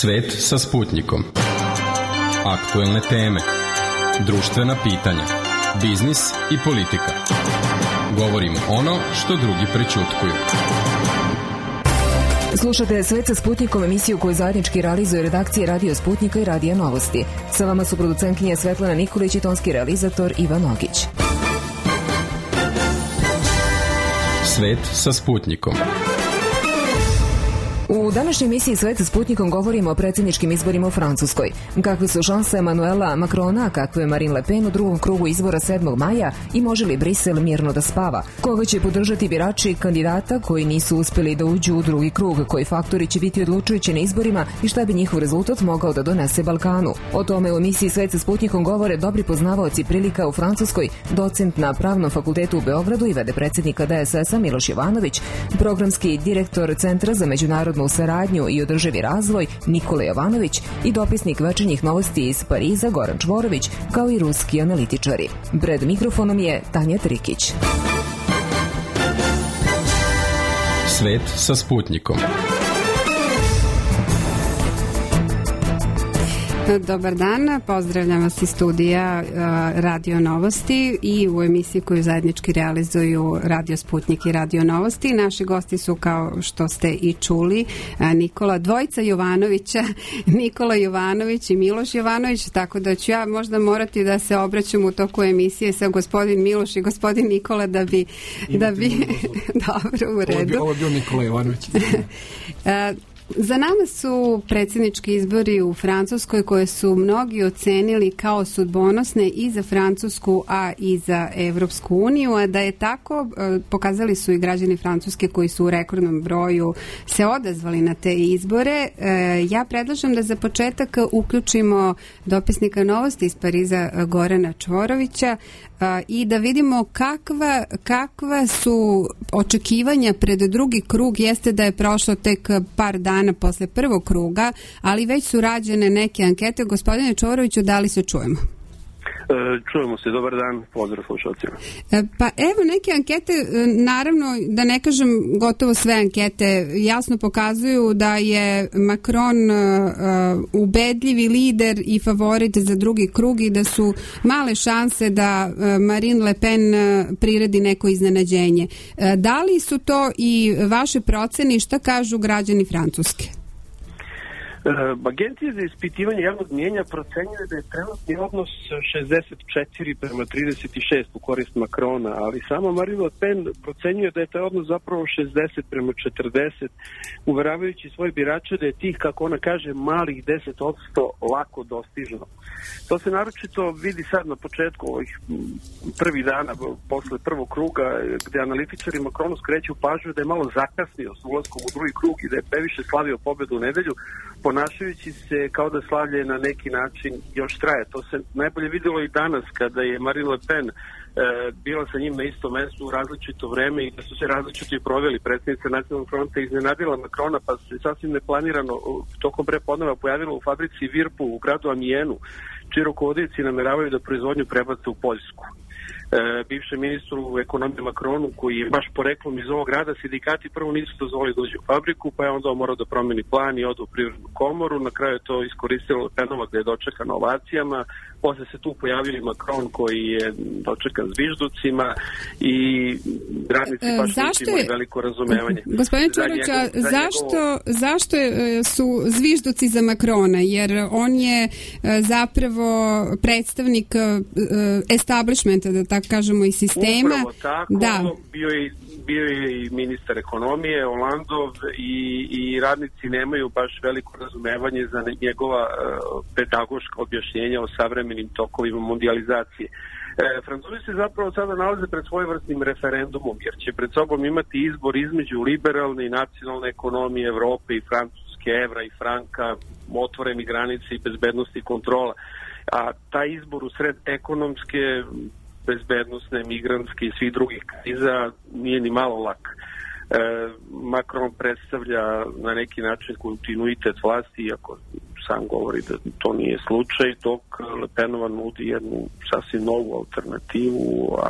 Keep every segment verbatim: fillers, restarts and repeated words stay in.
Svet sa Sputnikom. Aktuelne teme, društvena pitanja, biznis i politika. Govorimo ono što drugi prećutkuju. Slušate Svet sa Sputnikom, emisiju koju zajednički realizuje redakcije Radio Sputnika i Radija Novosti. Sa vama su producentkinja Svetlana Nikolić i tonski realizator Ivan Ogić. Svet sa Sputnikom. U današnjoj emisiji Svet sa Sputnikom govorimo o predsjedničkim izborima u Francuskoj. Kakve su šanse Emmanuela Macrona, a kakve je Marine Le Pen u drugom krugu izbora sedmog maja i može li Brisel mirno da spava? Koga će podržati birači kandidata koji nisu uspjeli da uđu u drugi krug? Koji faktori će biti odlučujući na izborima i šta bi njihov rezultat mogao da donese Balkanu? O tome u emisiji Svet sa Sputnikom govore dobri poznavaoci prilika u Francuskoj, docent na Pravnom fakultetu u Beogradu i vede predsjednika D S S-a Miloš Jovanović, programski direktor Centra za međunarodnu u saradnju i održivi razvoj Nikola Jovanović i dopisnik večernjih novosti iz Pariza Goran Čvorović, kao i ruski analitičari. Pred mikrofonom je Tanja Trikić. Svet sa Sputnikom. Dobar dan, pozdravljam vas iz studija Radio Novosti i u emisiji koju zajednički realizuju Radio Sputnik i Radio Novosti. Naši gosti su, kao što ste i čuli, Nikola dvojica Jovanovića, Nikola Jovanović i Miloš Jovanović, tako da ću ja možda morati da se obraćam u toku emisije sa gospodin Miloš i gospodin Nikola da bi... Da bi dobro, u redu. Ovo je bio Nikola Jovanović. Za nama su predsjednički izbori u Francuskoj koje su mnogi ocenili kao sudbonosne i za Francusku, a i za Evropsku uniju, a da je tako pokazali su i građani Francuske koji su u rekordnom broju se odazvali na te izbore. Ja predlažem da za početak uključimo dopisnika novosti iz Pariza Gorana Čvorovića i da vidimo kakva, kakva su očekivanja pred drugi krug. Jeste da je prošlo tek par dana posle prvog kruga, ali već su rađene neke ankete. Gospodine Čvoroviću, da li se čujemo? Čujemo se, dobar dan, pozdrav slušalcima. Pa evo, neke ankete, naravno da ne kažem gotovo sve ankete, jasno pokazuju da je Macron uh, ubedljivi lider i favorit za drugi krug i da su male šanse da uh, Marine Le Pen uh, priredi neko iznenađenje. Uh, da li su to i vaše procene i šta kažu građani Francuske? Agencije za ispitivanje javnog mnijenja procenjuje da je trenutni odnos šezdeset četiri prema trideset šest u korist Macrona, ali samo Marine Le Pen procenjuje da je taj odnos zapravo šezdeset prema četrdeset, uveravajući svoje birače da je tih, kako ona kaže, malih deset posto lako dostižno. To se naročito vidi sad na početku ovih prvih dana posle prvog kruga, gde analitičari Macronu skreću pažnju da je malo zakasnio s ulaskom u drugi krug i da je previše slavio pobedu u nedelju, ponašajući se kao da slavlje na neki način još traje. To se najbolje vidjelo i danas kada je Marine Le Pen e, bila sa njim na istom mestu u različito vreme i da su se različito i proveli. Predsjednica Nacionalnog fronta iznenadila Macrona, pa se sasvim neplanirano tokom prepodneva pojavila u fabrici Virpu u gradu Amijenu, čiji rukovodioci nameravaju da proizvodnju prebace u Poljsku. E, bivšem ministru ekonomije Macronu, koji je baš poreklom iz ovog grada, sindikati prvo nisu dozvolili da uđe u fabriku, pa je onda morao da promeni plan i ode u privrednu komoru. Na kraju je to iskoristilo Le Penova gde je dočekan ovacijama. Posle se tu pojavio i Macron koji je dočekan zvižducima i radnici baš nisu imali veliko razumevanje. Gospodin Čvorović, zašto, njegov... zašto su zvižduci za Macrona? Jer on je zapravo predstavnik establishmenta, da tako kažemo, i sistema. Upravo tako, da. bio je bio je i ministar ekonomije Holandov i, i radnici nemaju baš veliko razumevanje za njegova uh, pedagoška objašnjenja o savremenim tokovima mondializacije. E, Francuzi se zapravo sada nalaze pred svojevrsnim referendumom, jer će pred sobom imati izbor između liberalne i nacionalne ekonomije Evrope i Francuske, evra i franka, otvoreni granice i bezbednosti i kontrola. A taj izbor u sred ekonomske, bezbednostne, migrantske i svih drugih kriza nije ni malo lak. E, Macron predstavlja na neki način kontinuitet vlasti, iako sam govori da to nije slučaj, dok Le Penova nudi jednu sasvim novu alternativu, a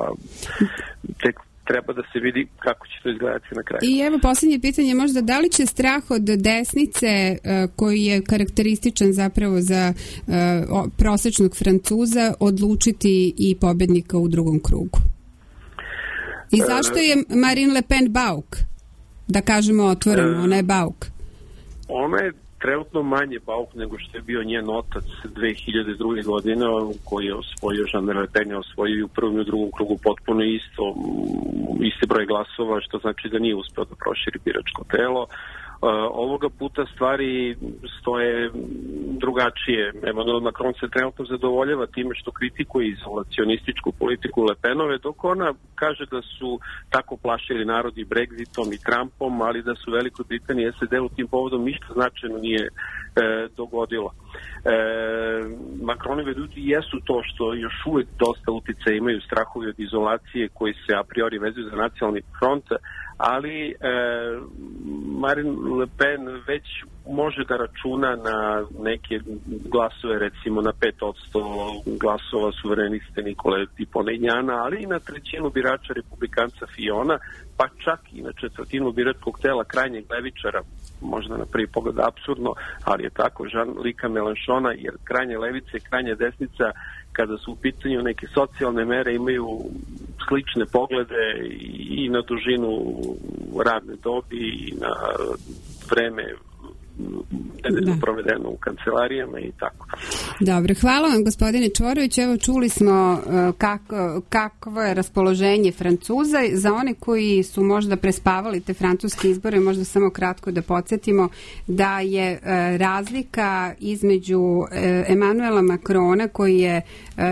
tek treba da se vidi kako će to izgledati na kraju. I evo posljednje pitanje, možda da li će strah od desnice koji je karakterističan zapravo za prosečnog Francuza odlučiti i pobednika u drugom krugu? I zašto je Marine Le Pen bauk? Da kažemo otvoreno, ona je bauk. Ona je trenutno manje bauk nego što je bio njen otac dve hiljade druge. godine, koji je osvojio, Jean-Marie Le Pen je osvojio u prvom i u drugom krugu potpuno isto, isti broj glasova, što znači da nije uspeo da proširi biračko telo. Uh, ovoga puta stvari stoje drugačije. Emmanuel Macron se trenutno zadovoljava time što kritikuje izolacionističku politiku Le Penove, dok ona kaže da su tako plašili narod i Brexitom i Trumpom, ali da su Velikoj Britaniji i S A D u tim povodom ništa značajno nije e, dogodilo. E, Macronovi ljudi jesu to što još uvek dosta uticaja imaju, strahovi od izolacije koji se a priori vezuju za nacionalni front, ali e, Marine Le Pen već može da računa na neke glasove, recimo na pet posto glasova suvereniste Nikole Dupont-Aignana, ali i na trećinu birača republikanca Fiona, pa čak i na četvrtinu biračkog tela krajnjeg levičara, možda na prvi pogled apsurdno, ali je tako, Jean-Luca Mélenchona, jer krajnje levice i krajnje desnica, kada su u pitanju neke socijalne mere, imaju slične poglede i na dužinu radne dobi i na vreme da. provedeno u kancelarijama i tako. Dobro, hvala vam gospodine Čvorović. Evo čuli smo kako, kakvo je raspoloženje Francuza. Za one koji su možda prespavali te francuske izbore, možda samo kratko da podsjetimo da je razlika između Emmanuela Macrona, koji je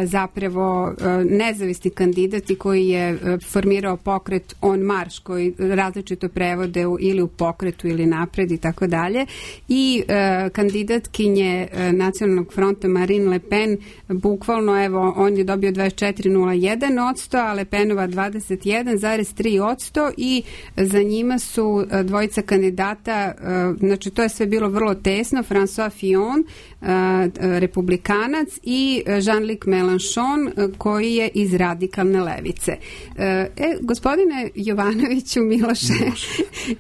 zapravo nezavisni kandidat i koji je formirao pokret On Marche, koji različito prevode ili u pokretu ili napred i tako dalje, i e, kandidatkinje e, nacionalnog fronta Marine Le Pen, bukvalno evo on je dobio dvadeset četiri zarez nula jedan posto, a Le Penova dvadeset jedan zarez tri posto i za njima su e, dvojica kandidata, e, znači to je sve bilo vrlo tesno, François Fillon, e, republikanac, i Jean-Luc Mélenchon, e, koji je iz radikalne levice. E, gospodine Jovanoviću, Miloše,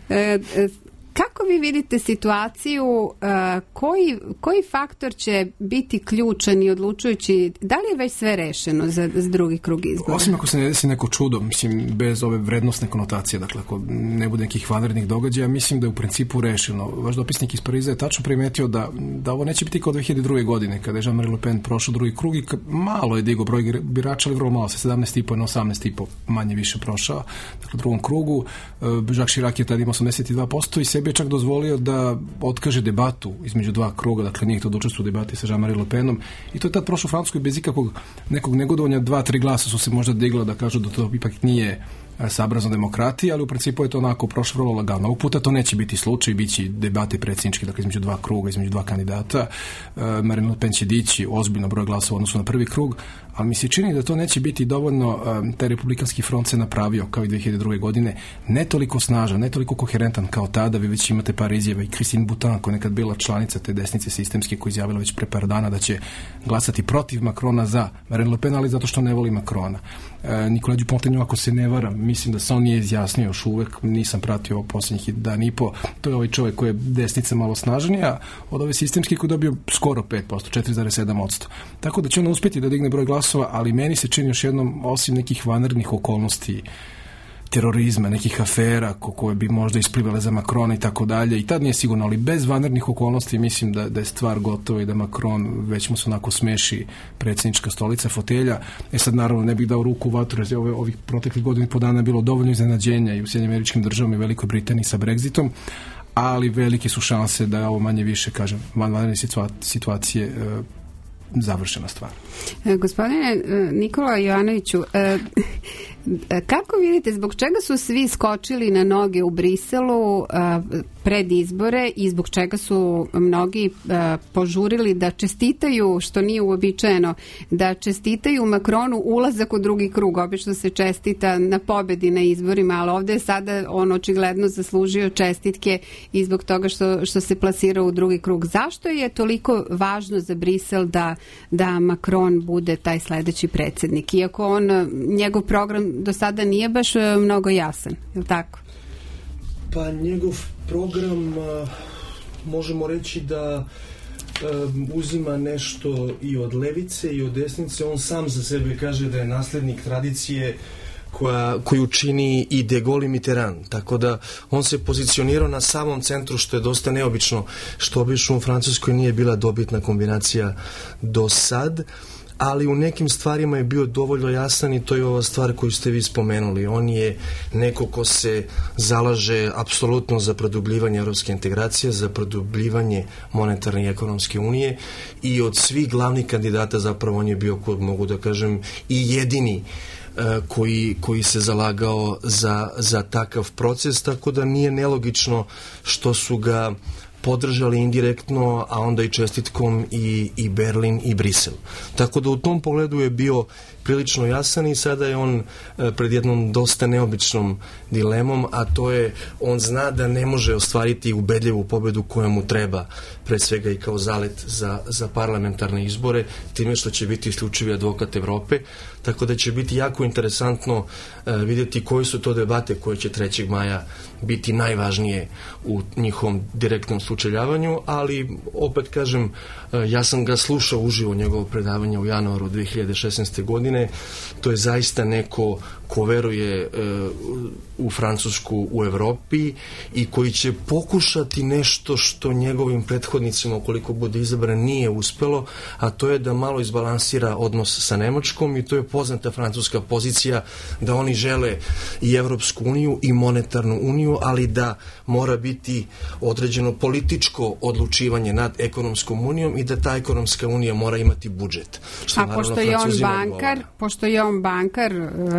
e, e, kako vi vidite situaciju, uh, koji, koji faktor će biti ključan i odlučujući, da li je već sve rešeno za, za drugi krug izbora? Osim ako se ne desi neko čudo, mislim, bez ove vrednostne konotacije, dakle, ako ne bude nekih vanrednih događaja, mislim da je u principu rešeno. Vaš dopisnik iz Pariza je tačno primetio da, da ovo neće biti kao dve hiljade druge. godine, kada je Jean-Marie Le Pen prošao drugi krug i malo je digao broj birača, ali vrlo malo, sa sedamnaest i po na osamnaest i po manje više prošao. Dakle, u drugom krugu, Jacques Chirac je tada imao osamdeset dva posto i sebi je čak dozvolio da otkaže debatu između dva kruga, dakle nije to da učestvuje u debati sa Jean-Marie Le Penom, i to je tad prošlo u Francuskoj bez ikakvog nekog negodovanja. Dva, tri glasa su se možda digla da kažu da to ipak nije sabrazno demokratiji, ali u principu je to onako prošlo vrlo lagano. Ovog puta to neće biti slučaj, bit će debate predsjedničke, dakle između dva kruga, između dva kandidata. Uh, Marine Le Pen će dići ozbiljno broj glasova u odnosu na prvi krug, ali mi se čini da to neće biti dovoljno. Um, taj republikanski front se napravio kao i dve hiljade druge. godine, ne toliko snažan, ne toliko koherentan kao tada. Vi već imate par izjava i Christine Boutin, koja je nekad bila članica te desnice sistemske, koja izjavila već pre par dana da će glasati protiv Macrona za Marine Le Pen, ali zato što ne voli Macrona. Uh, Nicolas Dupont-Aignan, ako se ne varam, mislim da se on nije izjasnio još uvek, nisam pratio ovo posljednjih dan i po. To je ovaj čovjek koji je desnica malo snažnija od ove sistemske, koji je dobio skoro pet posto, četiri zarez sedam posto. Tako da će on uspjeti da digne broj glasova, ali meni se čini još jednom, osim nekih vanrednih okolnosti, terorizma, nekih afera ko, koje bi možda isplivale za Macrona i tako dalje, i tad nije sigurno, ali bez vanrednih okolnosti mislim da, da je stvar gotova i da Macron već mu se onako smeši predsjednička stolica, fotelja. E sad naravno ne bih dao ruku u vatru, jer ove, ovih proteklih godina i po dana bilo dovoljno iznenađenja i u Sjedinjenim Američkim Državama i Velikoj Britaniji sa Brexitom, ali velike su šanse da ovo manje više, kažem, vanredne situacije e, završena stvar. E, gospodine Nikola Jovanoviću, e, kako vidite, zbog čega su svi skočili na noge u Briselu uh, pred izbore i zbog čega su mnogi uh, požurili da čestitaju, što nije uobičajeno, da čestitaju Macronu ulazak u drugi krug? Obično se čestita na pobedi na izborima, ali ovdje je sada on očigledno zaslužio čestitke i zbog toga što, što se plasirao u drugi krug. Zašto je toliko važno za Brisel da, da Macron bude taj sledeći predsjednik? Iako on, njegov program do sada nije baš mnogo jasan, je li tako? Pa njegov program možemo reći da uzima nešto i od levice i od desnice. On sam za sebe kaže da je naslednik tradicije koja, koju čini i De Gaulle i Mitterrand. Tako da on se pozicionirao na samom centru, što je dosta neobično, što obično u Francuskoj nije bila dobitna kombinacija do sad, ali u nekim stvarima je bio dovoljno jasan i to je ova stvar koju ste vi spomenuli. On je neko ko se zalaže apsolutno za produbljivanje evropske integracije, za produbljivanje monetarne i ekonomske unije i od svih glavnih kandidata zapravo on je bio, mogu da kažem, i jedini Koji, koji se zalagao za, za takav proces, tako da nije nelogično što su ga podržali indirektno, a onda i čestitkom i, i Berlin i Brisel. Tako da u tom pogledu je bio prilično jasan i sada je on pred jednom dosta neobičnom dilemom, a to je on zna da ne može ostvariti ubedljivu pobedu koja mu treba, pre svega i kao zalet za, za parlamentarne izbore, time što će biti isključivi advokat Evrope, tako da će biti jako interesantno uh, vidjeti koje su to debate koje će trećeg maja biti najvažnije u njihovom direktnom sučeljavanju, ali opet kažem, uh, ja sam ga slušao uživo njegovo predavanje u januaru dve hiljade šesnaeste. godine. To je zaista neko ko veruje uh, u Francusku u Evropi i koji će pokušati nešto što njegovim prethodnicima, ukoliko bude izabran, nije uspelo, a to je da malo izbalansira odnos sa Nemačkom i to je poznata francuska pozicija da oni žele i Evropsku uniju i monetarnu uniju, ali da mora biti određeno političko odlučivanje nad ekonomskom unijom i da ta ekonomska unija mora imati budžet. Što a pošto je on bankar, pošto je on bankar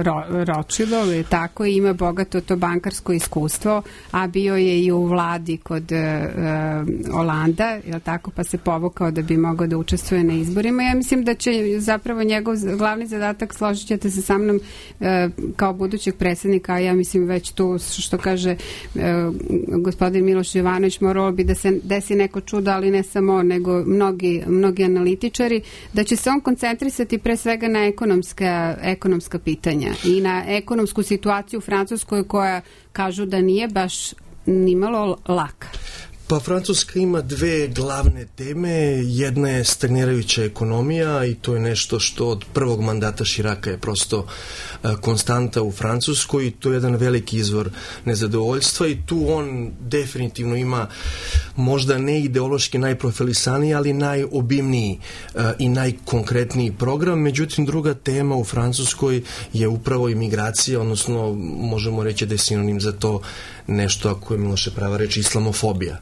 ro, Rothschildov, je tako, i ima bogato to bankarsko iskustvo, a bio je i u vladi kod uh, Olanda, je tako, pa se povukao da bi mogao da učestvuje na izborima. Ja mislim da će zapravo njegov glavni zadatak, složit ćete se sa mnom, uh, kao budućeg predsjednika, a ja mislim već tu, što kaže uh, gospodin Miloš Jovanović, moralo bi da se desi neko čudo, ali ne samo, nego mnogi, mnogi analitičari, da će se on koncentrisati pre svega na ekonomska, ekonomska pitanja i na ekonomsku situaciju u Francuskoj koja kažu da nije baš nimalo laka. Pa Francuska ima dve glavne teme. Jedna je stagnirajuća ekonomija i to je nešto što od prvog mandata Širaka je prosto uh, konstanta u Francuskoj i to je jedan veliki izvor nezadovoljstva i tu on definitivno ima možda ne ideološki najprofilisaniji, ali najobimniji uh, i najkonkretniji program. Međutim, druga tema u Francuskoj je upravo imigracija, odnosno možemo reći da je sinonim za to nešto, ako je Miloše prava reći, islamofobija.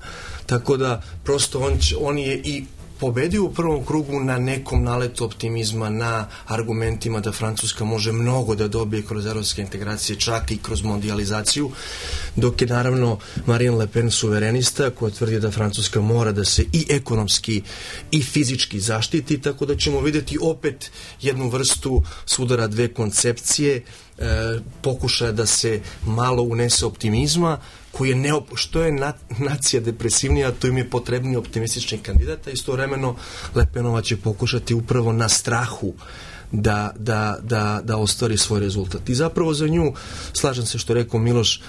Tako da prosto on, on je i pobedio u prvom krugu na nekom naletu optimizma, na argumentima da Francuska može mnogo da dobije kroz evropske integracije, čak i kroz mondializaciju, dok je naravno Marine Le Pen suverenista koja tvrdi da Francuska mora da se i ekonomski i fizički zaštiti, tako da ćemo vidjeti opet jednu vrstu sudara dve koncepcije, e, pokušaja da se malo unese optimizma, koji je neop... što je na... nacija depresivnija, to im je potrebni optimistični kandidata, istovremeno Le Penova će pokušati upravo na strahu da, da, da, da ostvari svoj rezultat. I zapravo za nju, slažem se što je rekao Miloš,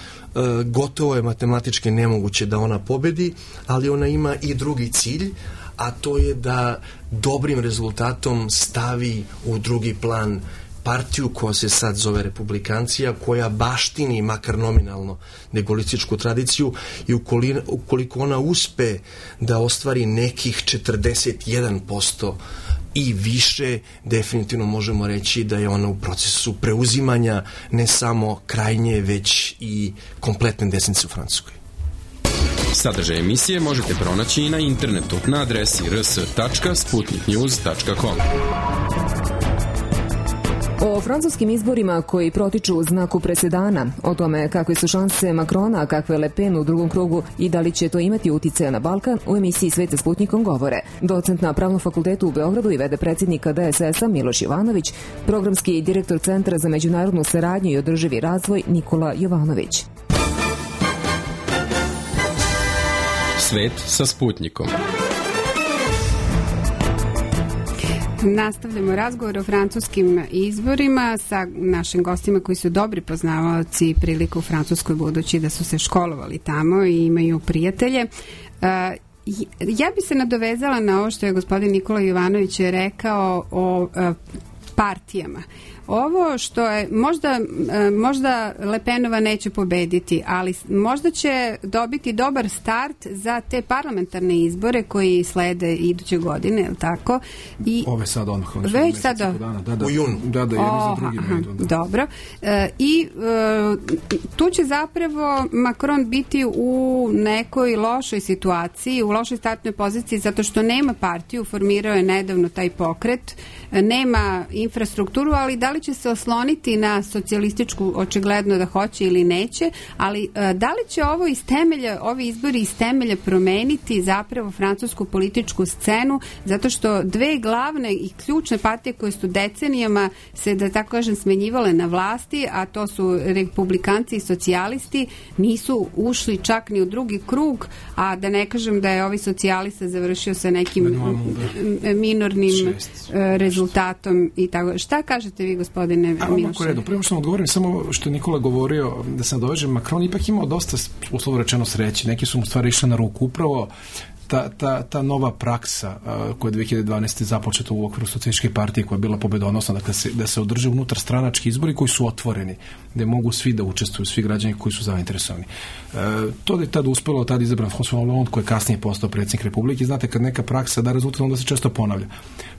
gotovo je matematički nemoguće da ona pobedi, ali ona ima i drugi cilj, a to je da dobrim rezultatom stavi u drugi plan partiju koja se sad zove Republikancija, koja baštini makar nominalno degolističku tradiciju i ukoliko ona uspe da ostvari nekih četrdeset jedan posto i više, definitivno možemo reći da je ona u procesu preuzimanja ne samo krajnje, već i kompletne desnice u Francuskoj. Sadržaj emisije možete pronaći i na internetu na adresi r s tačka sputnik news tačka com. O francuskim izborima koji protiču u znaku presedana, o tome kakve su šanse Macrona, a kakve Le Pen u drugom krugu i da li će to imati uticaja na Balkan, u emisiji Svet sa Sputnikom govore docent na Pravnom fakultetu u Beogradu i vede predsjednika D S S-a Miloš Jovanović, programski direktor Centra za međunarodnu saradnju i održivi razvoj Nikola Jovanović. Svet sa Sputnikom. Nastavljamo razgovor o francuskim izborima sa našim gostima koji su dobri poznavaoci prilika u Francuskoj, budući da su se školovali tamo i imaju prijatelje. Ja bi se nadovezala na ovo što je gospodin Nikola Jovanović rekao o partijama. Ovo što je, možda, možda Le Penova neće pobediti, ali možda će dobiti dobar start za te parlamentarne izbore koji slede iduće godine, je li tako? I ove sad odmah. Već sad dana, da, da, u junu. Da, da, jedni za drugim. Aha, da. Dobro. E, I e, tu će zapravo Macron biti u nekoj lošoj situaciji, u lošoj startnoj poziciji, zato što nema partiju, formirao je nedavno taj pokret, nema infrastrukturu, ali da li će se osloniti na socijalističku, očigledno da hoće ili neće, ali da li će ovo iz temelja, ovi izbori iz temelja promeniti zapravo francusku političku scenu, zato što dve glavne i ključne partije koje su decenijama se, da tako kažem, smenjivale na vlasti, a to su republikanci i socijalisti, nisu ušli čak ni u drugi krug, a da ne kažem da je ovi socijalista završio sa nekim minornim rezultatom i tako. Šta kažete vi, gospodine Miloše? Redu, prema što vam odgovorim, samo što je Nikola govorio, da se nadovežem, Macron ipak imao dosta, uslovno rečeno, sreće. Neki su mu stvari išli na ruku. Upravo ta, ta, ta nova praksa uh, koja je dve hiljade dvanaeste. započeta u okviru socijalističke partije, koja je bila pobedonosna, dakle se, da se održe unutar stranački izbori koji su otvoreni, gde mogu svi da učestvuju, svi građani koji su zainteresovani. Uh, to je tada uspelo, tada izabran François Hollande, koji je kasnije postao predsjednik Republike. Znate, kad neka praksa da rezultat, onda se često ponavlja.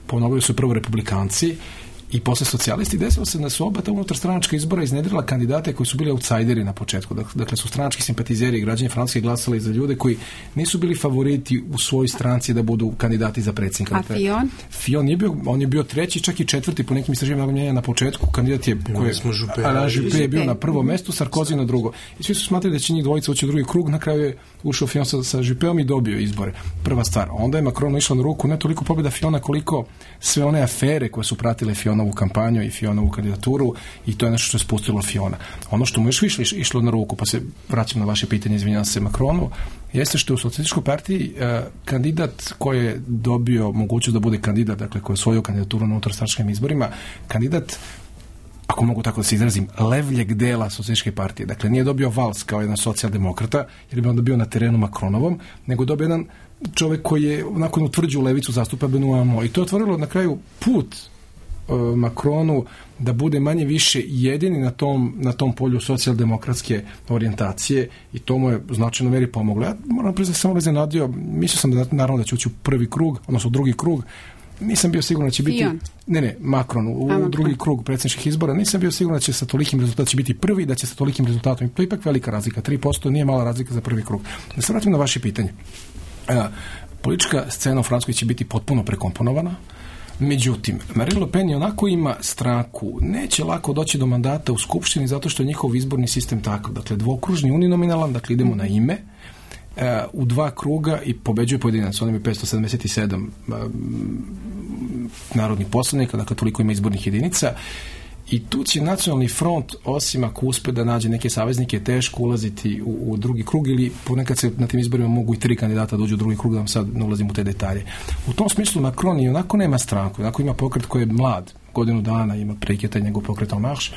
Ponavljaju su prvo republikanci i posle socijalisti. Desilo se da su oba ta unutar stranačka izbora iznedrila kandidate koji su bili outsideri na početku. Dakle, su stranački simpatizeri i građani Francuske glasali za ljude koji nisu bili favoriti u svojoj stranci da budu kandidati za predsjednika. A Fillon? Fillon je bio, on je bio treći, čak i četvrti po nekim istraživanjima mnjenja na početku. Kandidat je, koji Alain Juppé je bio na prvom mestu, Sarkozy na drugo. I svi su smatrali da će njih dvojica ući u drugi krug, na kraju je ušao Fillon sa, sa Juppéom i dobio izbore. Prva stvar. Onda je Macron išao na ruku ne toliko pobjeda Fillona koliko sve one afere koje su pratile Fillonovu kampanju i Fillonovu kandidaturu, i to je nešto što je spustilo Fillona. Ono što mu još više išlo na ruku, pa se vraćam na vaše pitanje, izvinjavam se Macronu, jeste što je u socijalističkoj partiji eh, kandidat koji je dobio mogućnost da bude kandidat, dakle koji je osvojio kandidaturu na unutarstranačkim izborima, kandidat, ako mogu tako da se izrazim, levljeg dela socijalističke partije. Dakle, nije dobio Valls kao jedan socijaldemokrata, jer bi onda bio na terenu Macronovom, nego dobio jedan čovjek koji je nakon utvrđu levicu zastupa Benoît Hamon. I to je otvorilo na kraju put uh, Macronu da bude manje više jedini na tom, na tom polju socijaldemokratske orijentacije, i to mu je u značajnoj meri pomoglo. Ja moram priznati, samo iznenadio, mislio sam da naravno da će ući u prvi krug, odnosno u drugi krug. Nisam bio siguran da će biti... Fillon. Ne, ne, Macron, u, u drugi krug predsjedničkih izbora. Nisam bio siguran da će sa tolikim rezultatom će biti prvi, da će sa tolikim rezultatom. To je ipak velika razlika. tri posto nije mala razlika za prvi krug. Da se vratim na vaše pitanje. A, politička scena u Francuskoj će biti potpuno prekomponovana. Međutim, Marine Le Pen onako ima stranku. Neće lako doći do mandata u Skupštini zato što je njihov izborni sistem takav. Dakle, dvokružni uninominalan, dakle idemo na ime, u dva kruga i pobeđuje pojedinac. On ima petsto sedamdeset sedam narodnih poslanika, dakle toliko ima izbornih jedinica, i tu će Nacionalni front, osim ako uspe da nađe neke saveznike, teško ulaziti u, u drugi krug, ili ponekad se na tim izborima mogu i tri kandidata da uđu u drugi krug, da vam sad ne ulazim u te detalje. U tom smislu Macron i onako nema stranku, onako ima pokret koji je mlad, godinu dana ima prekretanje njegov pokret En Marche,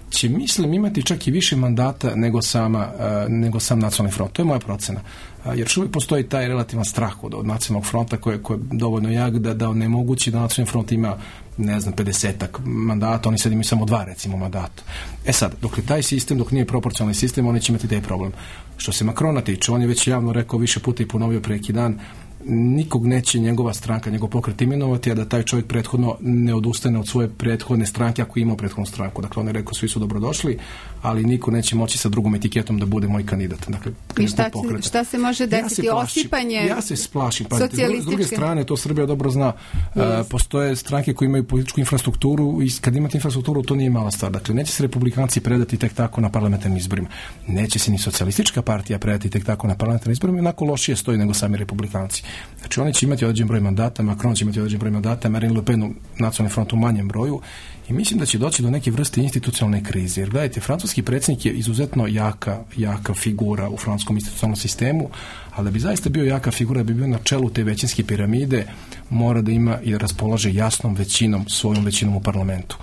će, mislim, imati čak i više mandata nego, sama, uh, nego sam Nacionalni front. To je moja procena. Uh, jer uvijek postoji taj relativan strah od, od Nacionalnog fronta koji, koji je dovoljno jak da, da onemogući da Nacionalni front ima, ne znam, pedesetak mandata, oni sad imaju samo dva, recimo, mandata. E sad, dok je taj sistem, dok nije proporcionalni sistem, oni će imati taj problem. Što se Macrona tiče, on je već javno rekao više puta i ponovio pre neki dan, nikog neće njegova stranka, njegov pokret imenovati, a da taj čovjek prethodno ne odustane od svoje prethodne stranke ako ima prethodnu stranku. Dakle, on je rekao, svi su dobrodošli, ali niko neće moći sa drugom etiketom da bude moj kandidat. Dakle, i šta, šta se može desiti? Ja Osipanje Ja se splašim. Pa, s druge strane, to Srbija dobro zna, uh, postoje stranke koje imaju političku infrastrukturu i kad imate infrastrukturu, to nije mala stvar. Dakle, neće se republikanci predati tek tako na parlamentarnim izborima. Neće se ni socijalistička partija predati tek tako na parlamentarnim izborima, jednako lošije stoji nego sami republikanci. Znači oni će imati određen broj mandata, Macron će imati određen broj mandata, Marine Le Pen u nacionalnom frontu u manjem broju i mislim da će doći do neke vrste institucionalne krize. Jer gledajte, francuski predsjednik je izuzetno jaka, jaka figura u francuskom institucionalnom sistemu, ali da bi zaista bio jaka figura, da bi bio na čelu te većinske piramide, mora da ima i da raspolaže jasnom većinom, svojom većinom u parlamentu.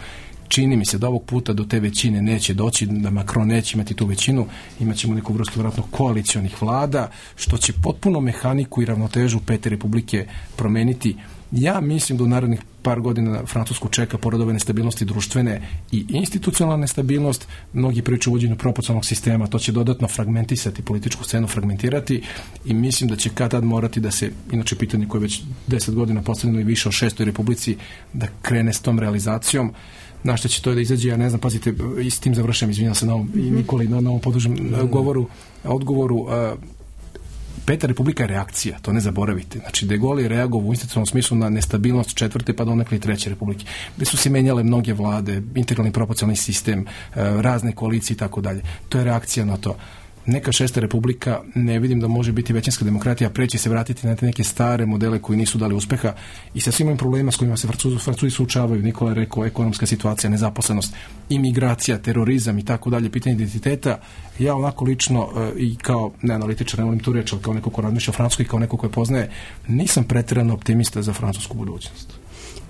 Čini mi se da ovog puta do te većine neće doći, da Macron neće imati tu većinu, imat ćemo neku vrstu vjerojatno koalicionih vlada, što će potpuno mehaniku i ravnotežu Pete republike promeniti. Ja mislim da u narednih par godina Francusku čeka pored ove nestabilnosti društvene i institucionalna nestabilnost, mnogi pričaju o uvođenju proporcionalnog sistema, to će dodatno fragmentisati političku scenu, fragmentirati i mislim da će kad tad morati da se, inače pitanje koje je već deset godina postavljeno i više o šestoj republici, da krene s tom realizacijom. Na što će to da izađe, ja ne znam, pazite, i s tim završam, izvinjam se na ovom, i Nikoli, na, na ovom podužem mm. govoru, odgovoru. Uh, Peta republika je reakcija, to ne zaboravite. Znači, De Gaulle je reagovao u institucionalnom smislu na nestabilnost četvrte pa donekle i treće republike. Gde su se menjale mnoge vlade, integralni proporcionalni sistem, uh, razne koalicije i tako dalje. To je reakcija na to. Neka šesta republika, ne vidim da može biti većinska demokratija, preći se vratiti na te neke stare modele koji nisu dali uspeha i sa svim ovim problema s kojima se Francuzi, Francuzi suočavaju. Nikola je rekao, ekonomska situacija, nezaposlenost, imigracija, terorizam i tako dalje, pitanje identiteta. Ja onako lično i kao, ne analitičar, ne volim tu reč, ali kao neko ko razmišlja o Francuskoj i kao neko ko je poznaje, nisam pretjerano optimista za francusku budućnost.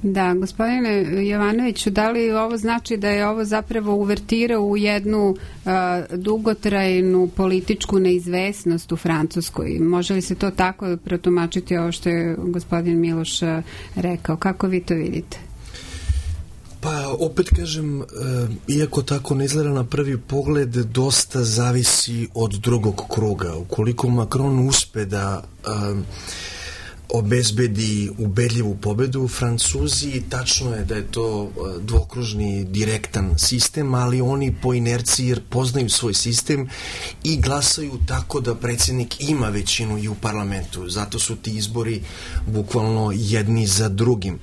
Da, gospodine Jovanoviću, da li ovo znači da je ovo zapravo uvertira u jednu uh, dugotrajnu političku neizvesnost u Francuskoj? Može li se to tako protumačiti ovo što je gospodin Miloš uh, rekao? Kako vi to vidite? Pa, opet kažem, iako tako ne izgleda na prvi pogled, dosta zavisi od drugog kruga. Ukoliko Macron uspe da obezbedi ubedljivu pobedu, Francuzi, tačno je da je to dvokružni direktan sistem, ali oni po inerciji poznaju svoj sistem i glasaju tako da predsjednik ima većinu i u parlamentu. Zato su ti izbori bukvalno jedni za drugim.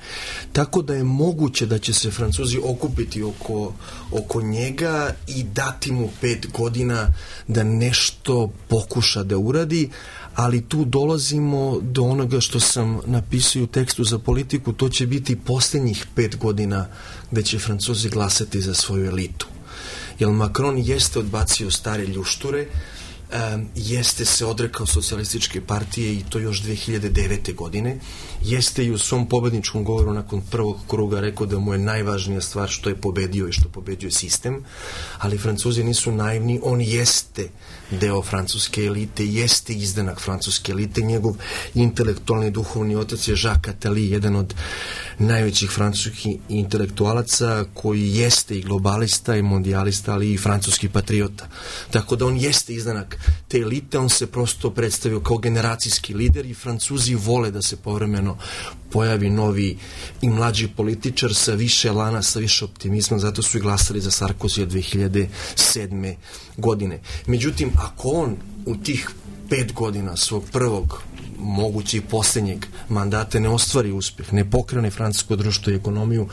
Tako da je moguće da će se Francuzi okupiti oko, oko njega i dati mu pet godina da nešto pokuša da uradi, ali tu dolazimo do onoga što sam napisao u tekstu za Politiku, to će biti posljednjih pet godina gde će Francuzi glasati za svoju elitu. Jer Macron jeste odbacio stare ljušture, um, jeste se odrekao socijalističke partije i to još dve hiljade devete. godine, jeste i u svom pobedničkom govoru nakon prvog kruga rekao da mu je najvažnija stvar što je pobedio i što pobeđuje sistem, ali Francuzi nisu naivni, on jeste deo francuske elite, jeste izdanak francuske elite, njegov intelektualni duhovni otac je Jacques Attali, jedan od najvećih francuskih intelektualaca koji jeste i globalista i mondijalista, ali i francuski patriota. Tako da on jeste izdanak te elite, on se prosto predstavio kao generacijski lider i Francuzi vole da se povremeno pojavi novi i mlađi političar sa više elana, sa više optimizma, zato su i glasali za Sarkozy dve hiljade sedme. godine. Međutim, ako on u tih pet godina svog prvog, moguće i posljednjeg mandata ne ostvari uspjeh, ne pokrene francusko društvo i ekonomiju,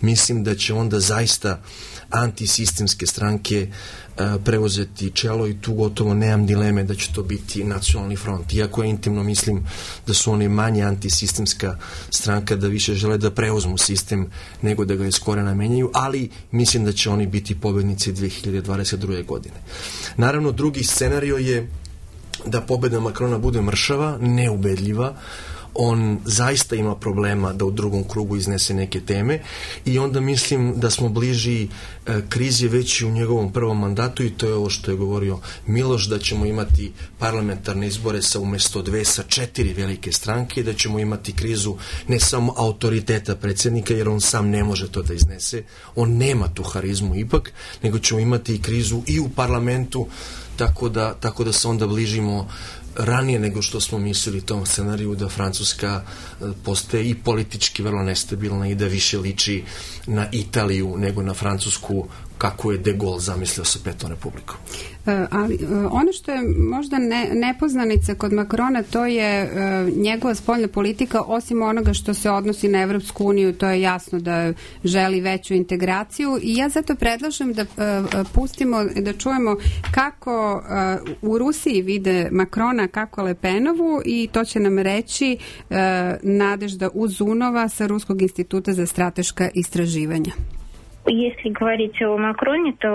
mislim da će onda zaista antisistemske stranke uh, preuzeti čelo i tu gotovo nemam dileme da će to biti Nacionalni front. Iako ja intimno mislim da su oni manje antisistemska stranka, da više žele da preuzmu sistem nego da ga iz korena menjaju, ali mislim da će oni biti pobednici dve hiljade dvadeset druge. godine. Naravno, drugi scenario je da pobeda Macrona bude mršava, neubedljiva. On zaista ima problema da u drugom krugu iznese neke teme i onda mislim da smo bliži e, krizi već i u njegovom prvom mandatu i to je ovo što je govorio Miloš, da ćemo imati parlamentarne izbore sa umjesto dve sa četiri velike stranke i da ćemo imati krizu ne samo autoriteta predsjednika, jer on sam ne može to da iznese, on nema tu harizmu ipak, nego ćemo imati i krizu i u parlamentu, tako da, tako da se onda bližimo ranije nego što smo mislili tom scenariju da Francuska postaje i politički vrlo nestabilna i da više liči na Italiju nego na Francusku kako je De Gaulle zamislio sa Petom republikom. Ali ono što je možda ne, nepoznanica kod Makrona, to je uh, njegova spoljna politika, osim onoga što se odnosi na Evropsku uniju, to je jasno da želi veću integraciju i ja zato predlažem da uh, pustimo, da čujemo kako uh, u Rusiji vide Makrona, kako Le Penovu i to će nam reći uh, Nadežda Uzunova sa Ruskog instituta za strateška istraživanja. Если говорить о Макроне, то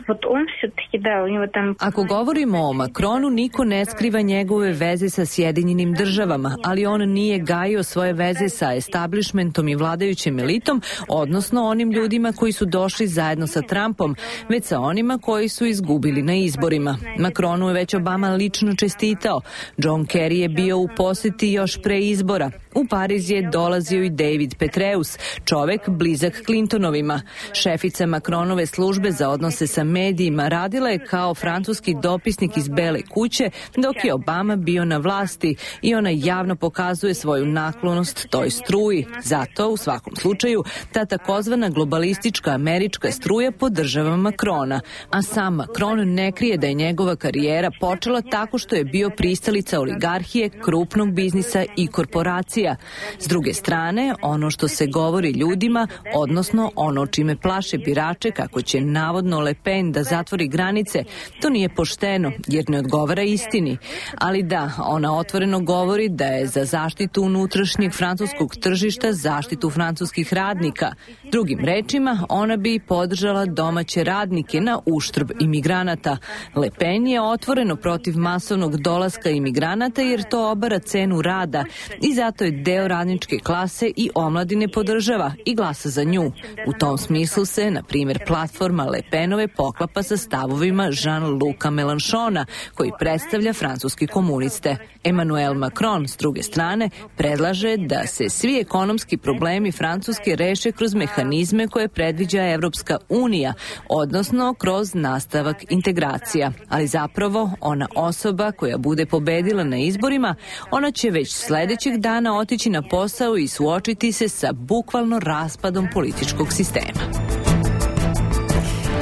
вот он все-таки, да, у него там... Ako govorimo o Makronu, niko ne skriva njegove veze sa Sjedinjenim državama, ali on nije gajio svoje veze sa establishmentom i vladajućim elitom, odnosno onim ljudima koji su došli zajedno sa Trumpom, već sa onima koji su izgubili na izborima. Makronu je već Obama lično čestitao. John Kerry je bio u poseti još pre izbora. U Pariz je dolazio i David Petraeus, čovek blizak Clintonovima. Šefica Makronove službe za odnose sa medijima radila je kao francuski dopisnik iz Bele kuće dok je Obama bio na vlasti i ona javno pokazuje svoju naklonost toj struji. Zato, u svakom slučaju, ta takozvana globalistička američka struja podržava Makrona, a sam Makron ne krije da je njegova karijera počela tako što je bio pristalica oligarhije, krupnog biznisa i korporacija. S druge strane, ono što se govori ljudima, odnosno ono čime plaše birače kako će navodno Le Pen da zatvori granice, to nije pošteno jer ne odgovara istini. Ali da, ona otvoreno govori da je za zaštitu unutrašnjeg francuskog tržišta, zaštitu francuskih radnika. Drugim rečima, ona bi podržala domaće radnike na uštrb imigranata. Le Pen je otvoreno protiv masovnog dolaska imigranata jer to obara cenu rada i zato je deo radničke klase i omladine podržava i glasa za nju. U tom smislu se, na primjer, platforma Le Penove poklapa sa stavovima Jean-Luca Mélenchona, koji predstavlja francuski komuniste. Emmanuel Macron, s druge strane, predlaže da se svi ekonomski problemi Francuske reše kroz mehanizme koje predviđa Evropska unija, odnosno kroz nastavak integracija. Ali zapravo, ona osoba koja bude pobedila na izborima, ona će već sledećeg dana otići na posao i suočiti se sa bukvalno raspadom političkog sistema.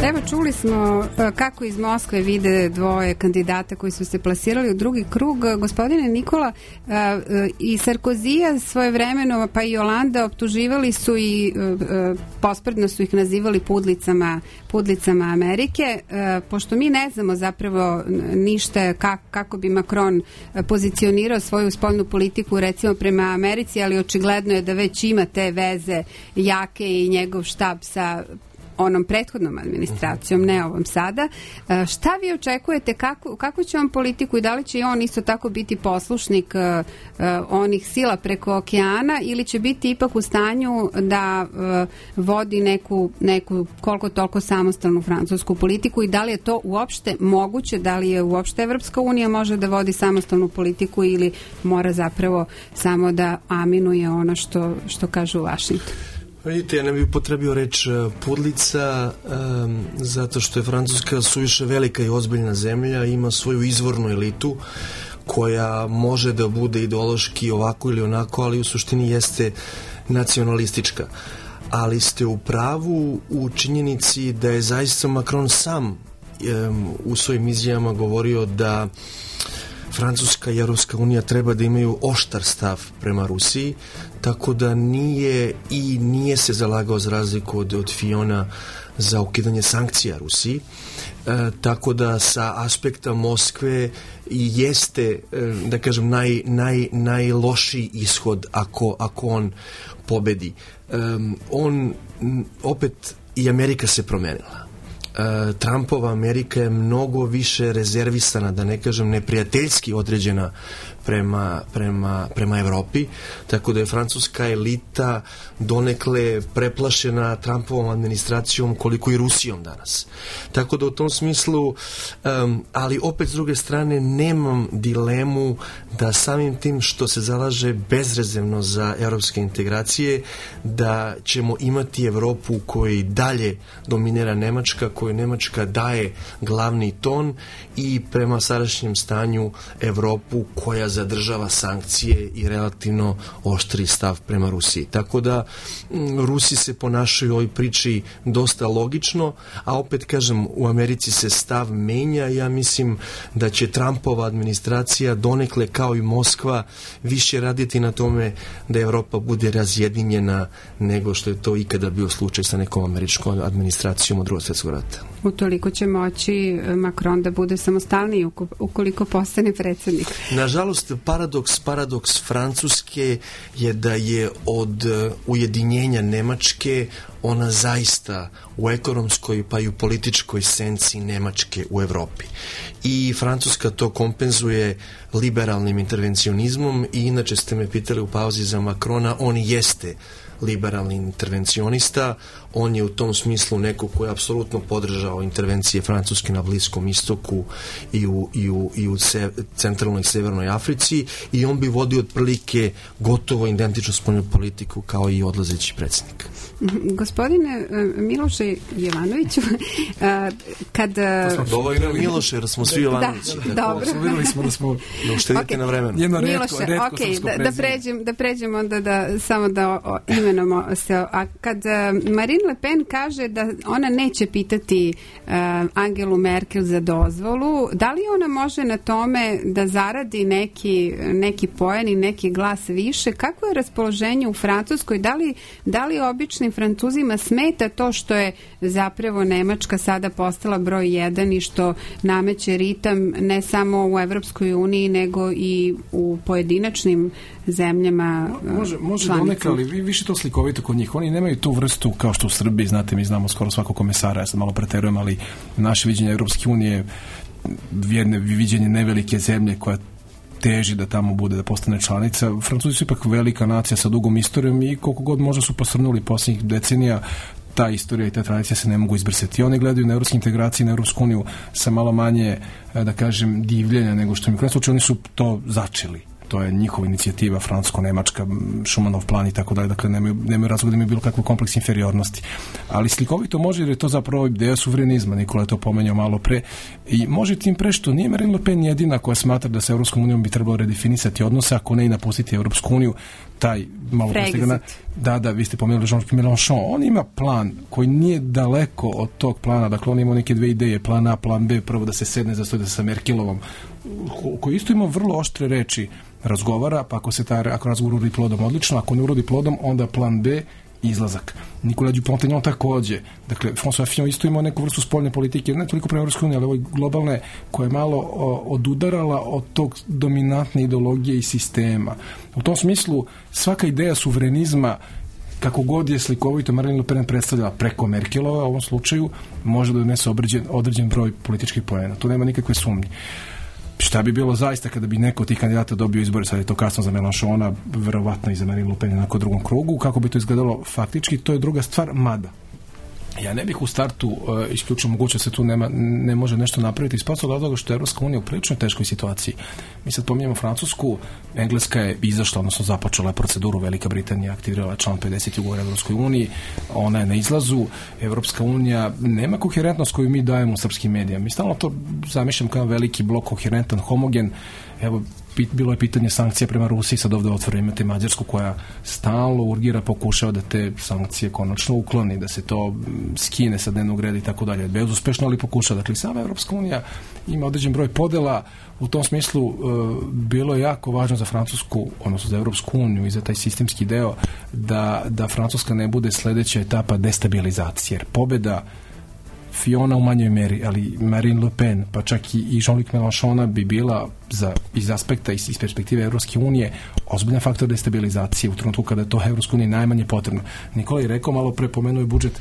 Evo, čuli smo kako iz Moskve vide dvoje kandidata koji su se plasirali u drugi krug. Gospodine Nikola, i Sarkozija svoje vremeno, pa i Olanda optuživali su i pospredno su ih nazivali pudlicama, pudlicama Amerike. Pošto mi ne znamo zapravo ništa kako bi Macron pozicionirao svoju spoljnu politiku recimo prema Americi, ali očigledno je da već ima te veze jake i njegov štab sa onom prethodnom administracijom, ne ovom sada. Šta vi očekujete, kako, kako će on politiku i da li će on isto tako biti poslušnik uh, onih sila preko okeana ili će biti ipak u stanju da uh, vodi neku, neku koliko toliko samostalnu francusku politiku i da li je to uopšte moguće, da li je uopšte Evropska unija može da vodi samostalnu politiku ili mora zapravo samo da aminuje ono što, što kaže u Vašingtonu? Vidite, ja ne bih upotrebio reč pudlica um, zato što je Francuska suviše velika i ozbiljna zemlja, ima svoju izvornu elitu koja može da bude ideološki ovako ili onako, ali u suštini jeste nacionalistička. Ali ste u pravu u činjenici da je zaista Macron sam um, u svojim izjavama govorio da Francuska i Evropska unija treba da imaju oštar stav prema Rusiji, tako da nije i nije se zalagao za razliku od, od Fiona za ukidanje sankcija Rusiji. E, tako da sa aspekta Moskve jeste, e, da kažem, naj, naj, najlošiji ishod ako, ako on pobedi. E, on, opet, i Amerika se promenila. Trumpova Amerika je mnogo više rezervisana, da ne kažem neprijateljski određena prema, prema, prema Evropi, tako da je francuska elita donekle preplašena Trumpovom administracijom koliko i Rusijom danas. Tako da u tom smislu, um, ali opet s druge strane nemam dilemu da samim tim što se zalaže bezrezervno za evropske integracije, da ćemo imati Evropu u kojoj dalje dominira Nemačka, kojoj Nemačka daje glavni ton i prema sadašnjem stanju Evropu koja zadržava sankcije i relativno oštri stav prema Rusiji. Tako da Rusi se ponašaju u ovoj priči dosta logično, a opet kažem, u Americi se stav menja. Ja mislim da će Trumpova administracija donekle kao i Moskva više raditi na tome da Evropa bude razjedinjena nego što je to ikada bio slučaj sa nekom američkom administracijom od Drugog svjetskog rata. Utoliko će moći Macron da bude samostalniji ukoliko postane predsjednik. Nažalost, paradoks, paradoks Francuske je da je od ujedinjenja Nemačke ona zaista u ekonomskoj pa i u političkoj senci Nemačke u Evropi. I Francuska to kompenzuje liberalnim intervencionizmom i inače ste me pitali u pauzi za Macrona, on jeste liberalni intervencionista, on je u tom smislu neko ko je apsolutno podržao intervencije Francuske na Bliskom istoku i u, i u, i u se, centralnoj i severnoj Africi i on bi vodio otprilike gotovo identičnu spoljnu politiku kao i odlazeći predsjednik. Gospodine Miloše Jovanoviću, kad... Ovo je Miloše, jer smo svi Jovanovići. Da, dobro. Vidjeli smo da smo... Da uštedite okay. na vremenu. Jedno Miloše, redko, redko okay, srpsko da, da, pređem, da pređem onda da, samo da o, imenujemo se. A kad uh, Marine Le Pen kaže da ona neće pitati uh, Angelu Merkel za dozvolu, da li ona može na tome da zaradi neki, neki poen i neki glas više? Kako je raspoloženje u Francuskoj? Da li, da li običnim Francuzima smeta to što je zapravo Nemačka sada postala broj jedan i što nameće ritam ne samo u Evropskoj uniji nego i u pojedinačnim zemljama može, može donekle, ali vi više to slikovito kod njih. Oni nemaju tu vrstu kao što u Srbiji, znate, mi znamo skoro svakog komesara, ja sam malo preterujem, ali naše viđenje Evropske unije jedne viđenje nevelike zemlje koja teži da tamo bude, da postane članica. Francuzi su ipak velika nacija sa dugom istorijom i koliko god možda su posrnuli posljednjih decenija, ta istorija i ta tradicija se ne mogu izbrisati. Oni gledaju na evropske integracije, na Evropsku uniju sa malo manje, da kažem, divljenja nego što mi u krajnjem slučaju oni su to začeli. To je njihova inicijativa, francusko-nemačka, Šumanov plan i tako dalje, dakle nemaju, nemaju razloga da imaju bilo kakvu kompleks inferiornosti. Ali slikovito može, jer je to zapravo ideja suverenizma, Nikola je to pomenjao malo pre, i može tim pre što nije Marine Le Pen jedina koja smatra da sa Evropskom unijom bi trebalo redefinisati odnose, ako ne i napustiti Evropsku uniju, taj malo prestigana, da, da, vi ste pomenuli Jean-Luc Mélenchon, on ima plan koji nije daleko od tog plana, dakle on ima neke dve ideje, plan A, plan B, prvo da se sedne za stoj da sa Merkelovom, koji isto ima vrlo oštre reči, razgovara, pa ako se taj, ako razgovor urodi plodom, odlično, ako ne urodi plodom, onda plan B, izlazak. Nicolas Dupont-Aignan takođe. Dakle, François Fillon isto imao neku vrstu spoljne politike, ne toliko prema Evropskoj uniji, ali ovoj globalne, koja je malo o, odudarala od tog dominantne ideologije i sistema. U tom smislu, svaka ideja suverenizma, kako god je slikovito Marine Le Pen predstavljala preko Merkelova, u ovom slučaju, može da donese određen, određen broj političkih poena. Tu nema nikakve sumnje. Šta bi bilo zaista kada bi neko od tih kandidata dobio izbore, sad je to kasno za Mélenchona, verovatno i za Marine Le Pen na nekom drugom krugu, kako bi to izgledalo faktički, to je druga stvar, mada. Ja ne bih u startu uh, isključio moguće da se tu nema, ne može nešto napraviti iz prostog razloga što je Evropska unija u prilično teškoj situaciji. Mi sad pominjamo Francusku, Engleska je izašla, odnosno započela je proceduru, Velika Britanija aktivirala član pedeset ugovora Evropskoj uniji, ona je na izlazu, Evropska unija nema koherentnost koju mi dajemo u srpskim medijama. Mi stalno to zamišljam kao veliki blok, koherentan, homogen. Evo, bilo je pitanje sankcija prema Rusiji, sad ovdje otvore imate Mađarsku koja stalno urgira, pokušava da te sankcije konačno ukloni, da se to skine sa dnevnog reda i tako dalje. Bezuspešno, ali pokušava. Dakle, sama Evropska unija ima određen broj podela. U tom smislu e, bilo je jako važno za Francusku, odnosno za Evropsku uniju i za taj sistemski deo, da, da Francuska ne bude sledeća etapa destabilizacije. Jer pobeda Fiona u manjoj meri, ali Marine Le Pen, pa čak i Jean-Luc Mélenchona bi bila za, iz aspekta, iz, iz perspektive Evropske unije ozbiljan faktor destabilizacije u trenutku kada je to Evropskoj uniji najmanje potrebno. Nikola je rekao, malo pre pomenuo je budžet,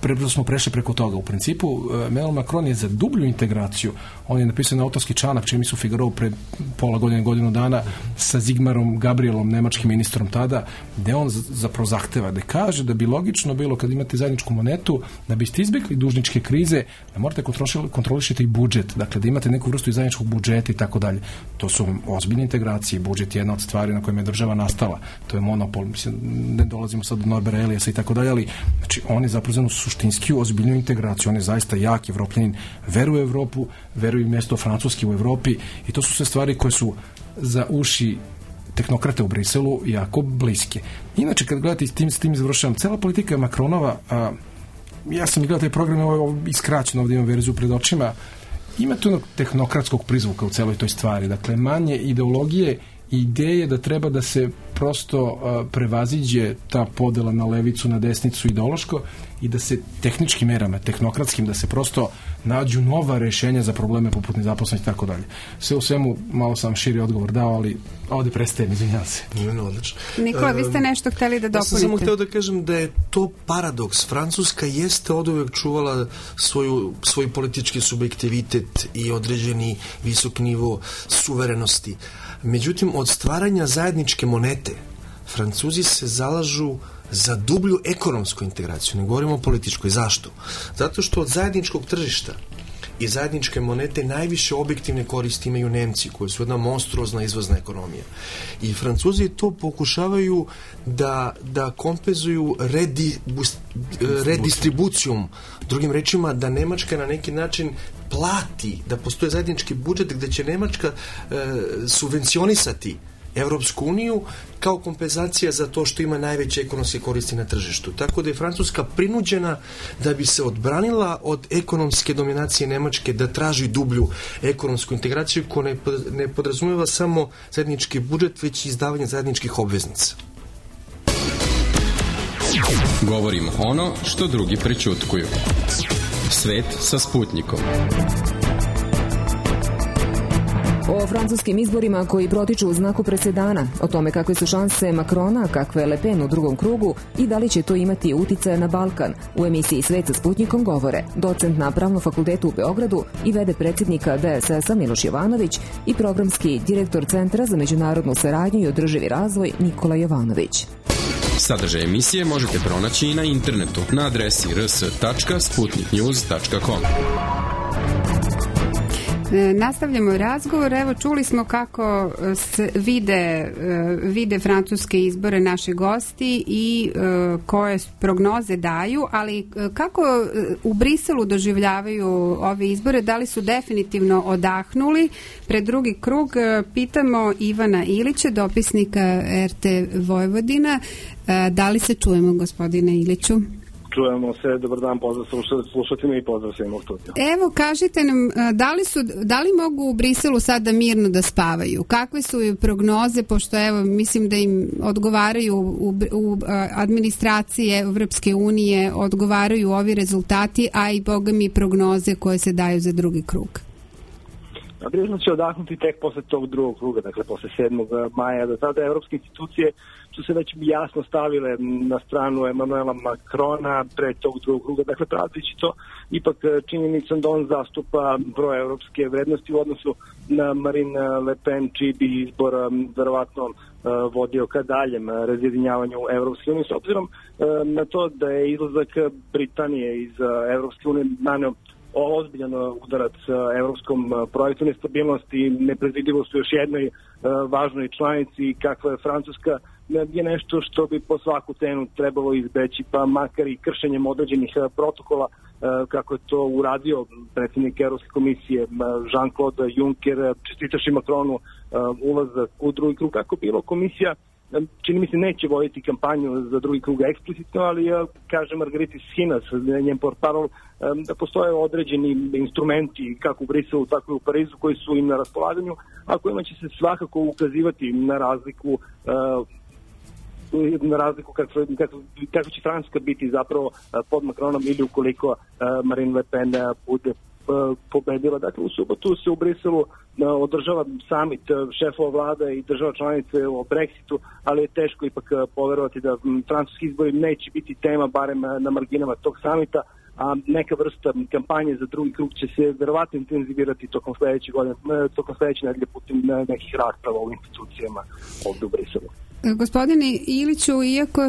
prebrzo smo prešli preko toga. U principu, Emmanuel Macron je za dublju integraciju. On je napisao na autorski članak, čini mi se u Figaro pre pola godine, godinu dana, sa Zigmarom Gabrielom, nemačkim ministrom tada, gde on zapravo zahteva, da kaže da bi logično bilo kad imate zajedničku monetu, da biste izbjegli dužničke krize, da morate kontrolišiti i budžet, dakle da imate neku vrstu zajedničkog budžeta i tako dalje. To su ozbiljne integracije. Budžet je jedna od stvari na kojima je država nastala. To je monopol. Mislim, ne dolazimo sad do Norbera Eliasa i tako dalje, ali znači, on je zapravo suštinski ozbiljnu integraciju. On je zaista jak Evropljanin, veruje u Evropu, veruje u mjesto Francuski u Evropi i to su sve stvari koje su za uši tehnokrate u Briselu jako bliske. Inače, kad gledate s tim, s tim završavam, cela politika Macronova, a, ja sam gledao taj program, ovo iskraćeno, ovdje imam verziju pred očima, ima tu tehnokratskog prizvuka u celoj toj stvari. Dakle, manje ideologije i ideje da treba da se prosto uh, prevaziđe ta podela na levicu, na desnicu ideološko i da se tehničkim merama, tehnokratskim, da se prosto nađu nova rešenja za probleme poput nezaposlenosti i tako dalje. Sve u svemu, malo sam širi odgovor dao, ali ovde prestajem, izvinjam se. Nije odlično. Nikola, vi ste nešto hteli da dopunite. Ja sam samo hteo da kažem da je to paradoks. Francuska jeste od uvek čuvala svoju, svoj politički subjektivitet i određeni visok nivo suverenosti. Međutim, od stvaranja zajedničke monete, Francuzi se zalažu za dublju ekonomsku integraciju, ne govorimo o političkoj. Zašto? Zato što od zajedničkog tržišta i zajedničke monete najviše objektivne koristi imaju Nemci, koji su jedna monstruozna izvozna ekonomija. I Francuzi to pokušavaju da, da kompenzuju redi, redistribucijom, drugim rečima da Nemačka na neki način plati, da postoje zajednički budžet gde će Nemačka e, subvencionisati Evropsku uniju kao kompenzacija za to što ima najveće ekonomske koristi na tržištu. Tako da je Francuska prinuđena da bi se odbranila od ekonomske dominacije Nemačke da traži dublju ekonomsku integraciju koja ne podrazumijeva samo zajednički budžet, već i izdavanje zajedničkih obveznica. Govorimo ono što drugi prećutkuju. Svet sa Sputnikom. O francuskim izborima koji protiču u znaku presedana, o tome kakve su šanse Macrona, kakve Le Pen u drugom krugu i da li će to imati uticaja na Balkan, u emisiji Svet sa Sputnikom govore docent na Pravnom fakultetu u Beogradu i vede predsjednika D S S-a Miloš Jovanović i programski direktor Centra za međunarodnu saradnju i održivi razvoj Nikola Jovanović. Sadržaj emisije možete pronaći i na internetu na adresi r s tačka sputnik news tačka com. Nastavljamo razgovor. Evo, čuli smo kako se vide, vide francuske izbore naši gosti i koje prognoze daju, ali kako u Briselu doživljavaju ove izbore, da li su definitivno odahnuli pred drugi krug? Pitamo Ivana Ilića, dopisnika R T Vojvodina. Da li se čujemo, gospodine Iliću? Čujemo se, dobar dan, pozdrav slušateljima i pozdrav svima u studiju. Evo, kažite nam, da li, su, da li mogu u Briselu sada mirno da spavaju? Kakve su prognoze, pošto evo, mislim da im odgovaraju u, u administracije Evropske unije, odgovaraju ovi rezultati, a i boga mi prognoze koje se daju za drugi krug? Brisel će odahnuti tek posle tog drugog kruga, dakle posle sedmog maja. Do tada evropske institucije su se već jasno stavile na stranu Emanuela Macrona pre tog drugog kruga. Dakle, prateći to ipak činjenicom da on zastupa broj evropske vrednosti u odnosu na Marine Le Pen, čiji bi izbor verovatno vodio ka daljem razjedinjavanju Evropske unije, s obzirom na to da je izlazak Britanije iz Evropske unije naneo ozbiljan udarac evropskom projektu, nestabilnosti i nepredvidivost u još jednoj važnoj članici kakva je Francuska je nešto što bi po svaku cenu trebalo izbeći, pa makar i kršenjem određenih protokola kako je to uradio predsjednik Evropske komisije Jean-Claude Juncker, čestitaši Macronu ulazak u drugi krug. Kako bilo, komisija čini mi se neće voditi kampanju za drugi krug eksplicitno, ali kaže Margarita Schinas, njen portparol, da postoje određeni instrumenti kako u Briselu, tako i u Parizu koji su im na raspolaganju, a kojima će se svakako ukazivati na razliku na razliku kako, kako, kako će Francuska biti zapravo pod Macronom ili ukoliko Marine Le Pen bude pobedila. Dakle, u subotu se u Briselu održava samit šefova vlada i država članice o Brexitu, ali je teško ipak poverovati da francuski izbori neće biti tema, barem na marginama tog samita, a neka vrsta kampanje za drugi krug će se verovatno intenzivirati tokom sledeće godine, tokom sledeće nedelje putem nekih rasprava u institucijama ovde u Briselu. Gospodine Iliću, iako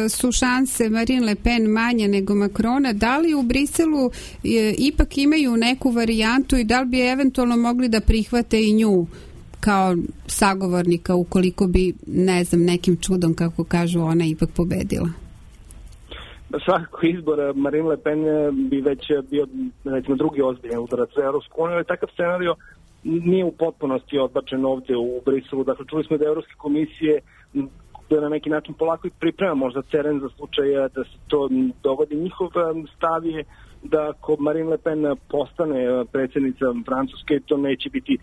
su šanse Marine Le Pen manje nego Macrona, da li u Briselu e, ipak imaju neku varijantu i da li bi eventualno mogli da prihvate i nju kao sagovornika ukoliko bi, ne znam, nekim čudom, kako kažu, ona ipak pobedila? Svakako izbor Marine Le Pen bi već bio, recimo, drugi ozbiljan udarac za Evropsku uniju, ali takav scenario nije u potpunosti odbačen ovde u Briselu. Dakle, čuli smo da Evropske komisije da na neki način polako i priprema možda teren za slučaj da se to dogodi. Njihov stav je da ako Marine Le Pen postane predsjednica Francuske, to neće biti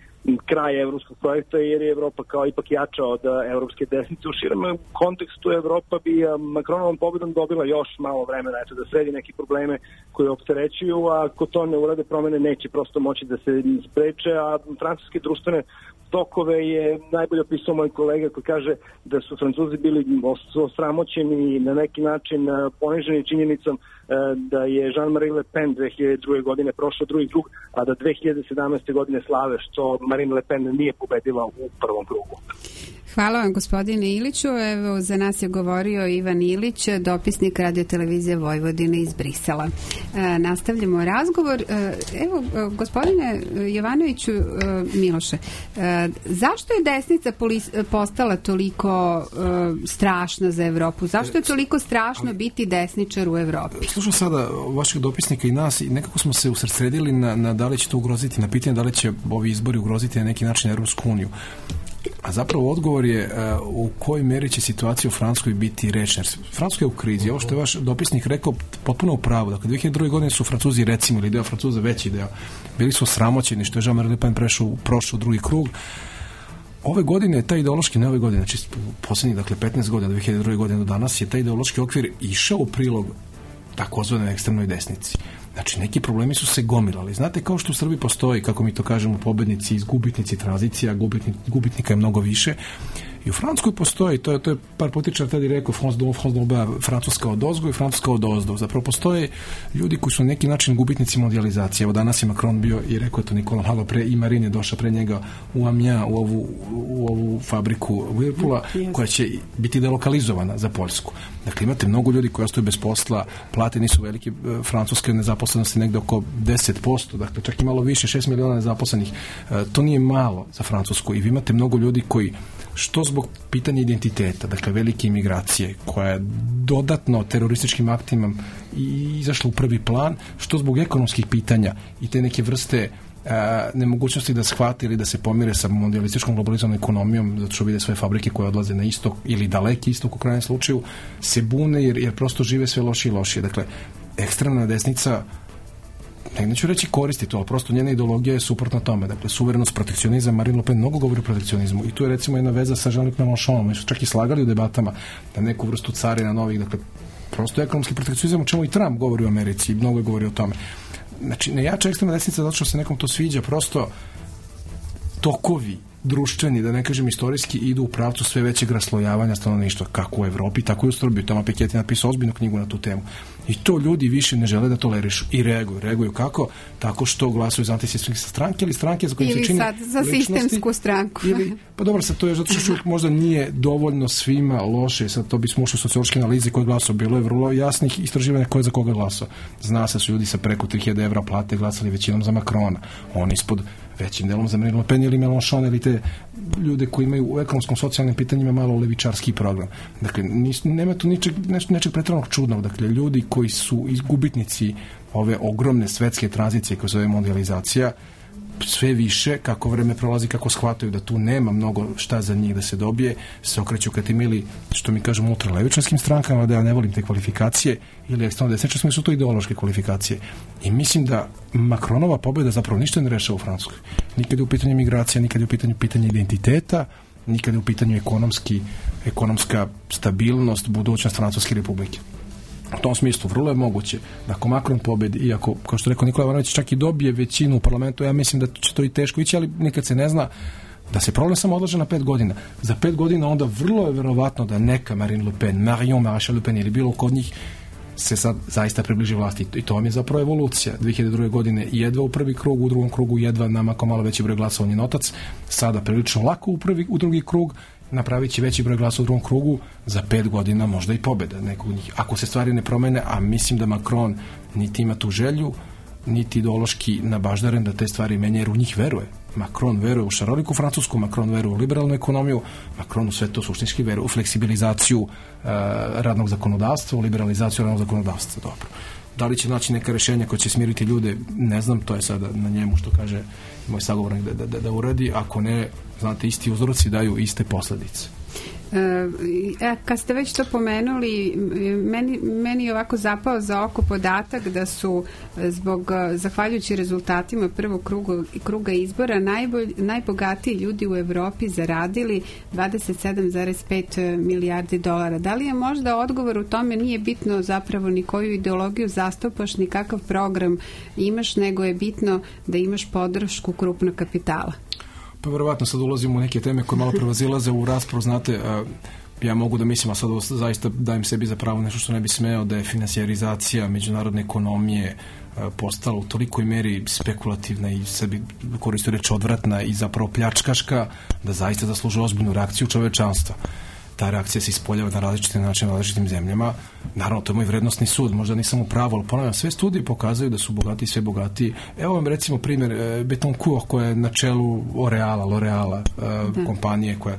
kraj evropskog projekta, jer je Evropa kao ipak jača od evropske desnice. U širem kontekstu Evropa bi Macronovom pobedom dobila još malo vremena eto, da sredi neke probleme koje opterećuju, a ako to ne urade, promene neće prosto moći da se spreče, a francuske društvene tokove je najbolje opisao moj kolega koji kaže da su Francuzi bili osramoćeni i na neki način poniženi činjenicom da je Jean-Marie Le Pen dve hiljade druge. godine prošao drugi krug, a da dve hiljade sedamnaeste. godine slave što Marine Le Pen nije pobedila u prvom krugu. Hvala vam, gospodine Iliću. Evo, za nas je govorio Ivan Ilić, dopisnik Radio-televizije Vojvodine iz Brisela. E, nastavljamo razgovor. E, evo, gospodine Jovanoviću, e, Miloše, e, zašto je desnica polis, postala toliko e, strašna za Evropu? Zašto je toliko strašno biti desničar u Evropi? Slušam sada vašeg dopisnika i nas i nekako smo se usredsredili na, na da li će to ugroziti, na pitanje da li će ovi izbori ugroziti na neki način Evropsku uniju. A zapravo odgovor je uh, u kojoj meri će situacija u Francuskoj biti rečna. Francuska je u krizi. Ovo što je vaš dopisnik rekao potpuno u pravu. Dakle, dve hiljade druge. godine su Francuzi, recimo, ili deo Francuza, veći deo, bili su osramoćeni što je Jean-Marie Le Pen prešao, prošao u drugi krug. Ove godine, taj ideološki, ne ove godine, znači poslednjih, dakle, petnaest godina, dve hiljade druge. godine do danas, je taj ideološki okvir išao u prilog takozvanoj ekstremnoj desnici. Znači, neki problemi su se gomilali. Znate, kao što u Srbiji postoji, kako mi to kažemo, pobednici, gubitnici, tranzicija, gubitni, gubitnika je mnogo više. I u Francuskoj postoji, to je, to je par političar tada rekao, France d'en, France d'en bas, Francuska od ozgo i Francuska od ozdo. Zapravo postoje ljudi koji su na neki način gubitnici mondializacije. Evo danas je Macron bio i rekao je to Nikola malo pre, i Marine je došla pre njega u Amiens, u ovu, u ovu fabriku Whirlpoola, koja će biti delokalizovana za Poljsku. Dakle, imate mnogo ljudi koji ostaju bez posla, plate nisu velike, francuske nezaposlenosti negde oko deset posto, dakle čak i malo više, šest miliona nezaposlenih. To nije malo za Francusku i vi imate mnogo ljudi koji što zbog pitanja identiteta, dakle velike imigracije koja je dodatno terorističkim aktima i izašla u prvi plan, što zbog ekonomskih pitanja i te neke vrste a, nemogućnosti da shvate ili da se pomire sa mondialističkom globalizovanom ekonomijom, zato što vide svoje fabrike koje odlaze na istok ili daleki istok u krajnjem slučaju, se bune jer, jer prosto žive sve lošije i lošije. Dakle, ekstremna desnica, ne, neću reći koristi to, ali prosto njena ideologija je suprotna tome. Dakle, suverenost, protekcionizam, Marine Le Pen mnogo govori o protekcionizmu i tu je recimo jedna veza sa Jean-Luc Mélenchonom. Mi su čak i slagali u debatama da neku vrstu carina novih, dakle, prosto ekonomski protekcionizam, o čemu i Trump govori u Americi i mnogo je govori o tome. Znači, ne jača ekstremna desnica zato što se nekom to sviđa, prosto tokovi društveni, da ne kažem istorijski, idu u pravcu sve većeg raslojavanja stanovništva, kako u Evropi, tako i u Srbiji. Toma Piketty je napisao ozbiljnu knjigu na tu temu. I to ljudi više ne žele da tolerišu i reaguju. Reaguju kako? Tako što glasuju za antisistemske stranke ili stranke za koje se čini sad za sistemsku stranku. Ili, pa dobro, sad to je zato što možda nije dovoljno svima loše, sad to bismo ušli u sociološke analize koje glasao. Bilo je vrlo jasnih istraživanja ko je za koga glasao. Zna se su ljudi sa preko tri hiljade evra plate glasali većinom za Macrona. Oni ispod većim delom za Marine Le Pen ili Mélenchon ili te ljude koji imaju u ekonomskom socijalnim pitanjima malo levičarski program. Dakle, nis, nema tu ničeg, nečeg, nečeg pretrednog čudnog. Dakle, ljudi koji su izgubitnici ove ogromne svetske tranzicije koja se zove mondializacija, sve više, kako vreme prolazi, kako shvataju da tu nema mnogo šta za njih da se dobije, se okreću ka tim ili, što mi kažemo, ultralevičarskim strankama, da ja ne volim te kvalifikacije, ili ekstremno desničarskim, su to ideološke kvalifikacije. I mislim da Macronova pobjeda zapravo ništa ne rešava u Francuskoj. Nikad je u pitanju migracija, nikad je u pitanju pitanje identiteta, nikad je u pitanju ekonomski, ekonomska stabilnost, budućnost Francuske republike. U tom smislu vrlo je moguće da ako Macron pobedi, iako, kao što rekao Nikola Ivanović, čak i dobije većinu u parlamentu, ja mislim da će to i teško ići, ali nikad se ne zna, da se problem samo odlaže na pet godina. Za pet godina onda vrlo je verovatno da neka Marine Le Pen, Marion Maréchal Le Pen ili bilo kod njih se sad zaista približi vlasti. I to vam je zapravo evolucija. dve hiljade druge. godine jedva u prvi krug, u drugom krugu jedva namako malo veći broj glasova njen otac, sada prilično lako u, prvi, u drugi krug, napravit će veći broj glasa u drugom krugu, za pet godina možda i pobjeda nekog njih. Ako se stvari ne promene, a mislim da Macron niti ima tu želju, niti ideološki nabaždaren da te stvari menja, jer u njih veruje. Macron veruje u šaroliku Francusku, Macron veruje u liberalnu ekonomiju, Macron u sve to suštinski veruje u fleksibilizaciju uh, radnog zakonodavstva, u liberalizaciju radnog zakonodavstva. Dobro. Da li će naći neka rešenja koja će smiriti ljude, ne znam, to je sada na njemu što kaže moj sagovornik da, da, da uradi. Ako ne, znate, isti uzroci daju iste posledice. E, kad ste već to pomenuli, meni, meni je ovako zapao za oko podatak da su zbog, zahvaljujući rezultatima prvog kruga, kruga izbora najbolj, najbogatiji ljudi u Evropi zaradili dvadeset sedam zarez pet milijardi dolara. Da li je možda odgovor u tome nije bitno zapravo ni koju ideologiju zastupaš, ni kakav program imaš, nego je bitno da imaš podršku krupnog kapitala? Pa verovatno sad ulazimo u neke teme koje malo prevazilaze u raspravu, znate, ja mogu da mislim, a sad zaista dajem sebi za pravo nešto što ne bi smeo, da je finansijarizacija međunarodne ekonomije postala u tolikoj meri spekulativna i sebi koristio reč odvratna i zapravo pljačkaška, da zaista zaslužuje ozbiljnu reakciju čovečanstva. Ta reakcija se ispoljava na različite načine u različitim zemljama. Naravno, to je moj vrednostni sud, možda nisam u pravu, ali ponavljam, sve studije pokazuju da su bogati sve bogatiji. Evo vam recimo primjer Betoncourt koja je na čelu L'Oreala, L'Oreala uh, kompanije koja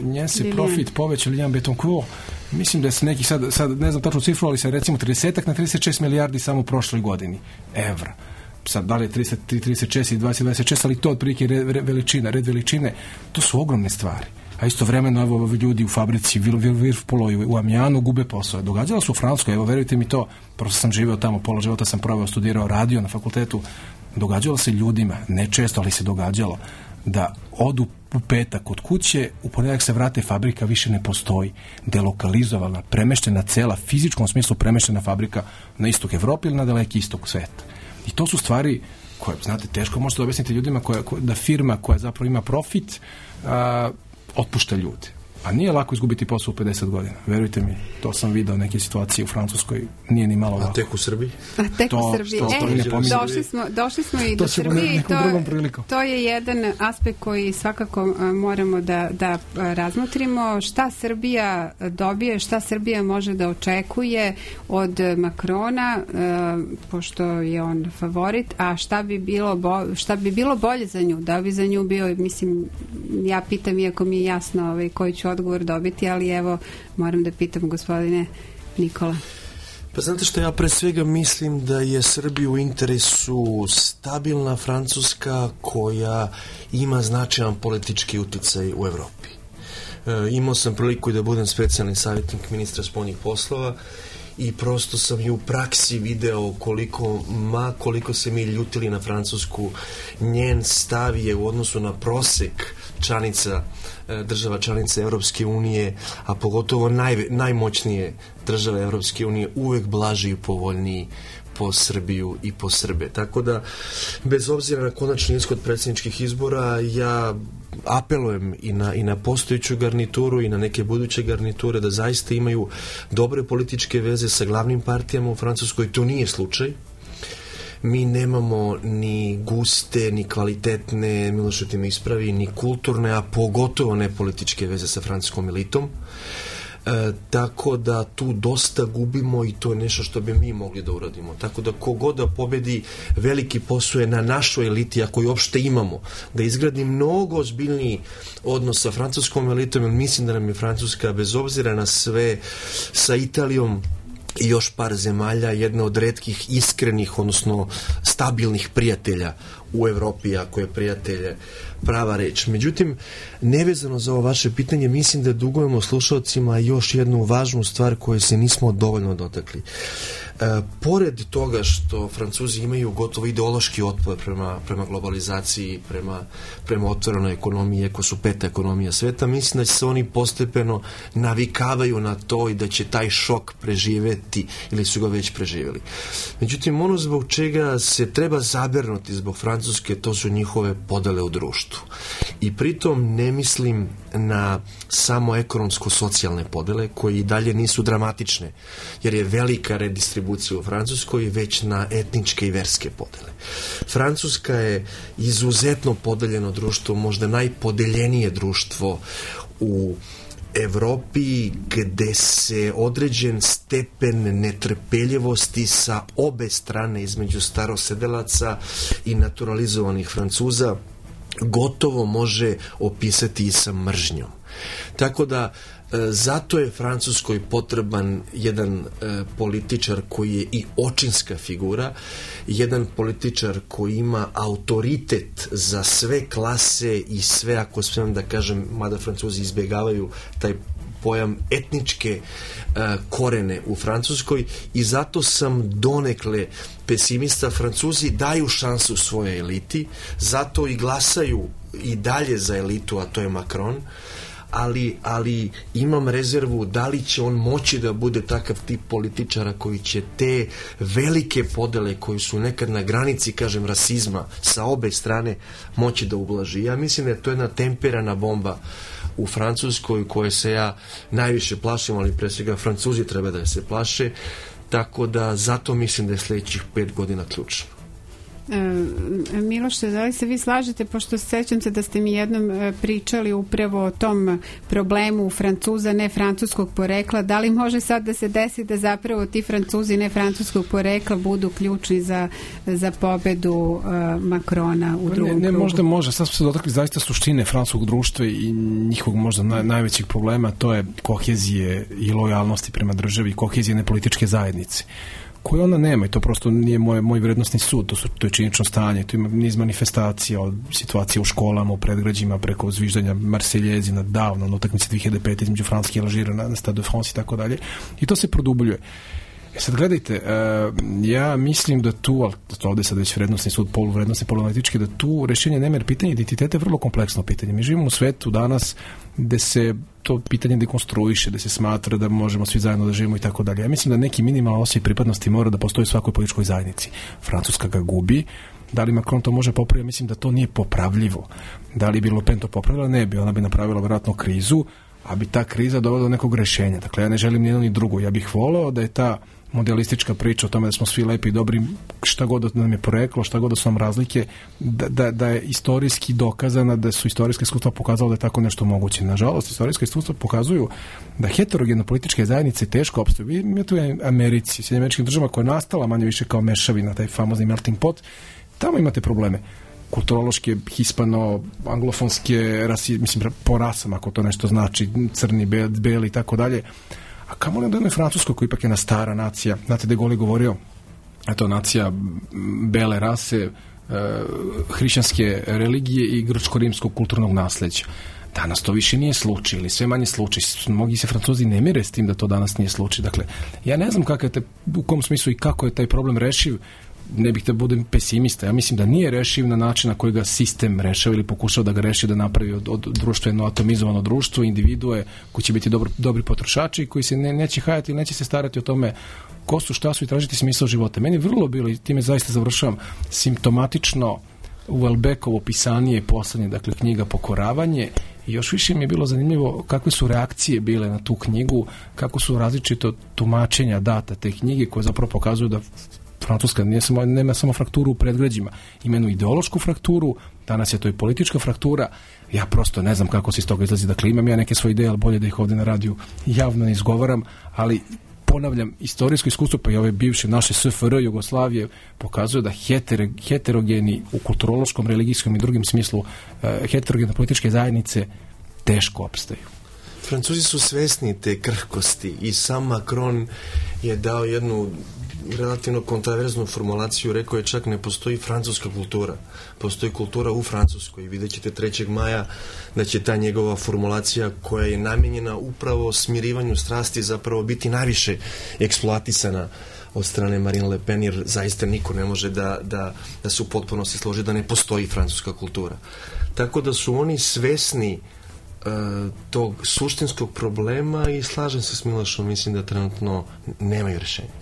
njen se profit povećao, Lilian Betoncourt, mislim da se neki sad, sad ne znam tačno cifru, ali se recimo trideset na trideset šest milijardi samo u prošloj godini evra. Sad, da li je trideset tri, trideset šest i dvadeset, dvadeset šest, ali to otprilike red veličina, red veličine, to su ogromne stvari. A istovremeno evo ljudi u fabrici Whirlpool u Amijanu gube posao. Događalo se u Francuskoj, evo verujte mi to, prosto sam živeo tamo, pola života sam proveo, studirao radio na fakultetu, događalo se ljudima, ne često, ali se događalo, da odu u petak od kuće, u ponedjeljak se vrate, fabrika više ne postoji, delokalizovana, premeštena cela, fizičkom smislu premeštena fabrika na istok Evrope ili na daleki istok sveta. I to su stvari koje, znate, teško možete objasniti ljudima koja, da firma koja zapravo ima profit a, otpušta ljude. A nije lako izgubiti posao u pedeset godina. Verujte mi, to sam video neke situacije u Francuskoj, nije ni malo lako. A tek u Srbiji? A tek to, u Srbiji. To, to, e, to došli, smo, došli smo i do Srbije i to, to je jedan aspekt koji svakako a, moramo da, da a, razmotrimo. Šta Srbija dobije, šta Srbija može da očekuje od Makrona, a, pošto je on favorit, a šta bi bilo, bo, šta bi bilo bolje za nju? Da bi za nju bio, mislim, ja pitam, iako mi je jasno ovaj, koji ću odgovor dobiti, ali evo moram da pitam gospodine Nikola. Pa znate što, ja pre svega mislim da je Srbiji u interesu stabilna Francuska koja ima značajan politički uticaj u Evropi. E, imao sam priliku da budem specijalni savjetnik ministra spoljnih poslova i prosto sam i u praksi video koliko, ma koliko se mi ljutili na Francusku, njen stav je u odnosu na prosek članica, država članica Evropske unije, a pogotovo naj, najmoćnije države Evropske unije, uvek blaži i povoljniji po Srbiju i po Srbe. Tako da, bez obzira na konačni ishod predsjedničkih izbora, ja apelujem i na, i na postojeću garnituru i na neke buduće garniture da zaista imaju dobre političke veze sa glavnim partijama u Francuskoj. To nije slučaj. Mi nemamo ni guste, ni kvalitetne, Milošete me ispravi, ni kulturne, a pogotovo ne političke veze sa francuskom elitom. E, tako da tu dosta gubimo i to je nešto što bi mi mogli da uradimo. Tako da kogod da pobedi, veliki posao je na našoj eliti, ako je uopšte imamo, da izgradi mnogo ozbiljniji odnos sa francuskom elitom, jer mislim da nam je Francuska, bez obzira na sve, sa Italijom i još par zemalja, jedna od retkih iskrenih, odnosno stabilnih prijatelja u Evropi, ako je prijatelje prava reč. Međutim, nevezano za ovo vaše pitanje, mislim da dugujemo slušalcima još jednu važnu stvar koju se nismo dovoljno dotakli. E, pored toga što Francuzi imaju gotovo ideološki otpor prema, prema globalizaciji, prema, prema otvorenoj ekonomiji, ako su peta ekonomija sveta, mislim da će se oni postepeno navikavaju na to i da će taj šok preživeti ili su ga već preživjeli. Međutim, ono zbog čega se treba zabernuti zbog Francuske, to su njihove podele u društvu. I pritom ne mislim na samo ekonomsko-socijalne podele, koje i dalje nisu dramatične, jer je velika redistribucija u Francuskoj, već na etničke i verske podele. Francuska je izuzetno podeljeno društvo, možda najpodeljenije društvo u Evropi, gde se određen stepen netrpeljivosti sa obe strane između starosedelaca i naturalizovanih Francuza gotovo može opisati i sa mržnjom. Tako da Zato je Francuskoj potreban jedan političar koji je i očinska figura, jedan političar koji ima autoritet za sve klase i sve, ako smijem da kažem, mada Francuzi izbjegavaju taj pojam, etničke uh, korene u Francuskoj, i zato sam donekle pesimista. Francuzi daju šansu svojoj eliti, zato i glasaju i dalje za elitu, a to je Macron, ali, ali imam rezervu da li će on moći da bude takav tip političara koji će te velike podele koji su nekad na granici, kažem, rasizma sa obe strane moći da ublaži. Ja mislim da je to jedna temperana bomba u Francuskoj koje se ja najviše plašim, ali pre svega Francuzi treba da se plaše, tako da zato mislim da je sljedećih pet godina ključno. E, Miloše, da li se vi slažete, pošto sećam se da ste mi jednom pričali upravo o tom problemu Francuza ne francuskog porekla, da li može sad da se desi da zapravo ti Francuzi ne francuskog porekla budu ključni za, za pobedu uh, Makrona u drugom ne, ne, krugu? Možda može, sad smo se dotakli zaista suštine francuskog društva i njihovog možda naj, najvećeg problema, to je kohezije i lojalnosti prema državi, kohezijne političke zajednice, koje ona nema, i to prosto nije moj, moj vrednostni sud, to, su, to je činično stanje, to ima niz manifestacija od situacije u školama, u predgrađima, preko zviždanja Marseljezi na davno, na utakmici dve hiljade pete između Francuske i Alžira na, na Stade de France i tako dalje, i to se produbljuje. E sad gledajte, uh, ja mislim da tu, ali to ovdje sad već vrednostni sud, poluvrednostni, poluanalitički, da tu rešenje nema, jer pitanje identiteta je vrlo kompleksno pitanje. Mi živimo u svetu danas gde se to pitanje dekonstruiše, da se smatra da možemo svi zajedno da živimo i tako dalje. Ja mislim da neki minimalno osjećaj pripadnosti mora da postoji u svakoj političkoj zajednici. Francuska ga gubi. Da li Macron to može popraviti? Mislim da to nije popravljivo. Da li bi Le Pen to popravila? Ne bi. Ona bi napravila vjerojatno krizu, a bi ta kriza dovela do nekog rešenja. Dakle, ja ne želim ni jedno ni drugo. Ja bih voleo da je ta modelistička priča o tome da smo svi lepi i dobri, šta god da nam je poreklo, šta god da su nam razlike, da, da, da je istorijski dokazana, da su istorijske iskustva pokazala da je tako nešto moguće. Nažalost, istorijske iskustva pokazuju da heterogene političke zajednice teško opstaju. Vi imate u Americi, Sjedinjenim Američkim Državama, koja je nastala manje više kao mešavina, taj famozni melting pot, tamo imate probleme kulturološke, hispano, anglofonske, rasi, mislim, po rasama, ako to nešto znači, crni, beli i tako dalje. A kamo li da jednoj Francuskoj, koja ipak je jedna stara nacija, znate da je Goli govorio, eto, nacija bele rase, e, hrišćanske religije i grčko-rimskog kulturnog nasleđa. Danas to više nije slučaj, ili sve manje slučaj. Mnogi se Francuzi ne mire s tim da to danas nije slučaj. Dakle, ja ne znam kako je te, u kom smislu i kako je taj problem rešiv, ne bih da budem pesimista. Ja mislim da nije rešiv na način na koji ga sistem rešava ili pokušao da ga reši, da napravi od, od društveno atomizovano društvo, individue koji će biti dobro, dobri potrošači, koji se ne, neće hajati ili neće se starati o tome ko su, šta su i tražiti smisao života. Meni je vrlo bilo, i time zaista završavam, simptomatično u Welbeckovo pisanje poslednje, dakle, knjiga Pokoravanje, i još više mi je bilo zanimljivo kakve su reakcije bile na tu knjigu, kako su različito tumačenja data te knjige, koje zapravo pokazuju da Francuska nije samo, nema samo frakturu u predgrađima, ima jednu ideološku frakturu, danas je to i politička fraktura. Ja prosto ne znam kako se iz toga izlazi. Dakle, imam ja neke svoje ideje, ali bolje da ih ovdje na radiju javno ne izgovaram, ali ponavljam, istorijsko iskustvo, pa i ove bivše naše S F R Jugoslavije pokazuje da heter, heterogeni u kulturološkom, religijskom i drugim smislu eh, heterogene političke zajednice teško opstaju. Francuzi su svesni te krhkosti i sam Macron je dao jednu relativno kontraverznu formulaciju, rekao je čak ne postoji francuska kultura, postoji kultura u Francuskoj. Vidjet ćete trećeg maja da će ta njegova formulacija, koja je namijenjena upravo smirivanju strasti, zapravo biti najviše eksploatisana od strane Marine Le Pen, jer zaista niko ne može da, da, da se u potpunosti složi da ne postoji francuska kultura. Tako da su oni svesni uh, tog suštinskog problema i slažem se s Milošom, mislim da trenutno nemaju rješenja.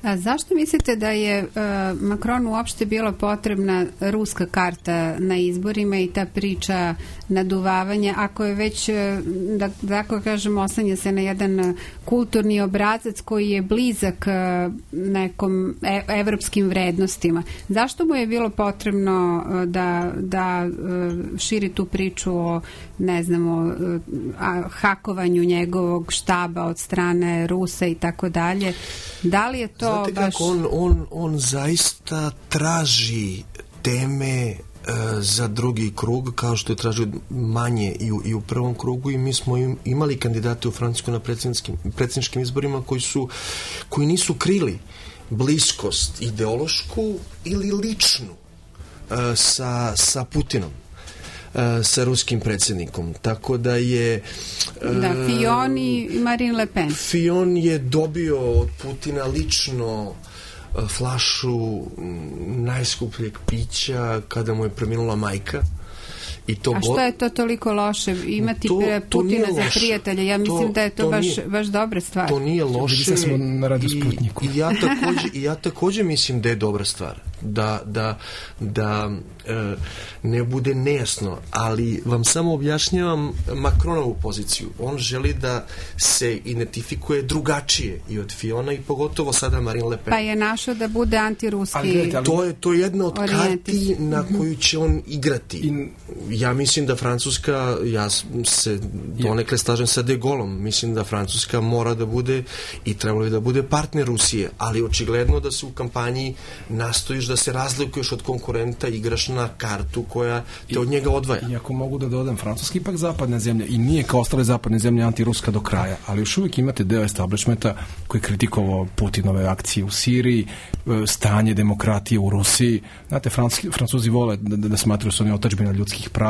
A zašto mislite da je uh, Macronu uopšte bila potrebna ruska karta na izborima i ta priča naduvavanja, ako je već, da, da tako kažem, oslanja se na jedan kulturni obrazac koji je blizak uh, nekom e, evropskim vrednostima? Zašto mu je bilo potrebno uh, da, da uh, širi tu priču o, ne znamo, uh, hakovanju njegovog štaba od strane Rusa i tako dalje? Da li je to Znate baš... kako on, on, on zaista traži teme za drugi krug, kao što je tražio manje i u, i u prvom krugu, i mi smo im, imali kandidate u Francuskoj na predsjedničkim izborima koji su koji nisu krili bliskost ideološku ili ličnu uh, sa, sa Putinom, uh, sa ruskim predsjednikom. Tako da je uh, da, Fillon i Marine Le Pen. Fillon je dobio od Putina lično flašu najskupljeg pića kada mu je preminula majka. I to A što je to toliko loše? Imati to, Putina to za prijatelja? Ja mislim to, da je to, to baš, nije, baš dobra stvar. To nije loše. Da smo na Radio Sputniku. I, i, ja također, I ja također mislim da je dobra stvar. Da, da, da e, ne bude nejasno. Ali vam samo objašnjavam Macronovu poziciju. On želi da se identifikuje drugačije i od Fillona i pogotovo sada Marine Le Pen. Pa je našao da bude antiruski. Ali, ali, to je to je jedna od karti na koju će on igrati. In, Ja mislim da Francuska, ja se donekle slažem sa De Gaulleom, mislim da Francuska mora da bude i trebalo bi da bude partner Rusije, ali očigledno da se u kampanji nastojiš da se razlikuješ od konkurenta, igraš na kartu koja te od njega odvaja. I ako mogu da dodam, Francuska ipak zapadna zemlja i nije kao ostale zapadne zemlje antiruska do kraja, ali još uvijek imate deo establishmenta koji je kritikovao Putinove akcije u Siriji, stanje demokratije u Rusiji. Znate, Francuzi, Francuzi vole da, da, da smatraju su oni otadžbina ljudskih prava,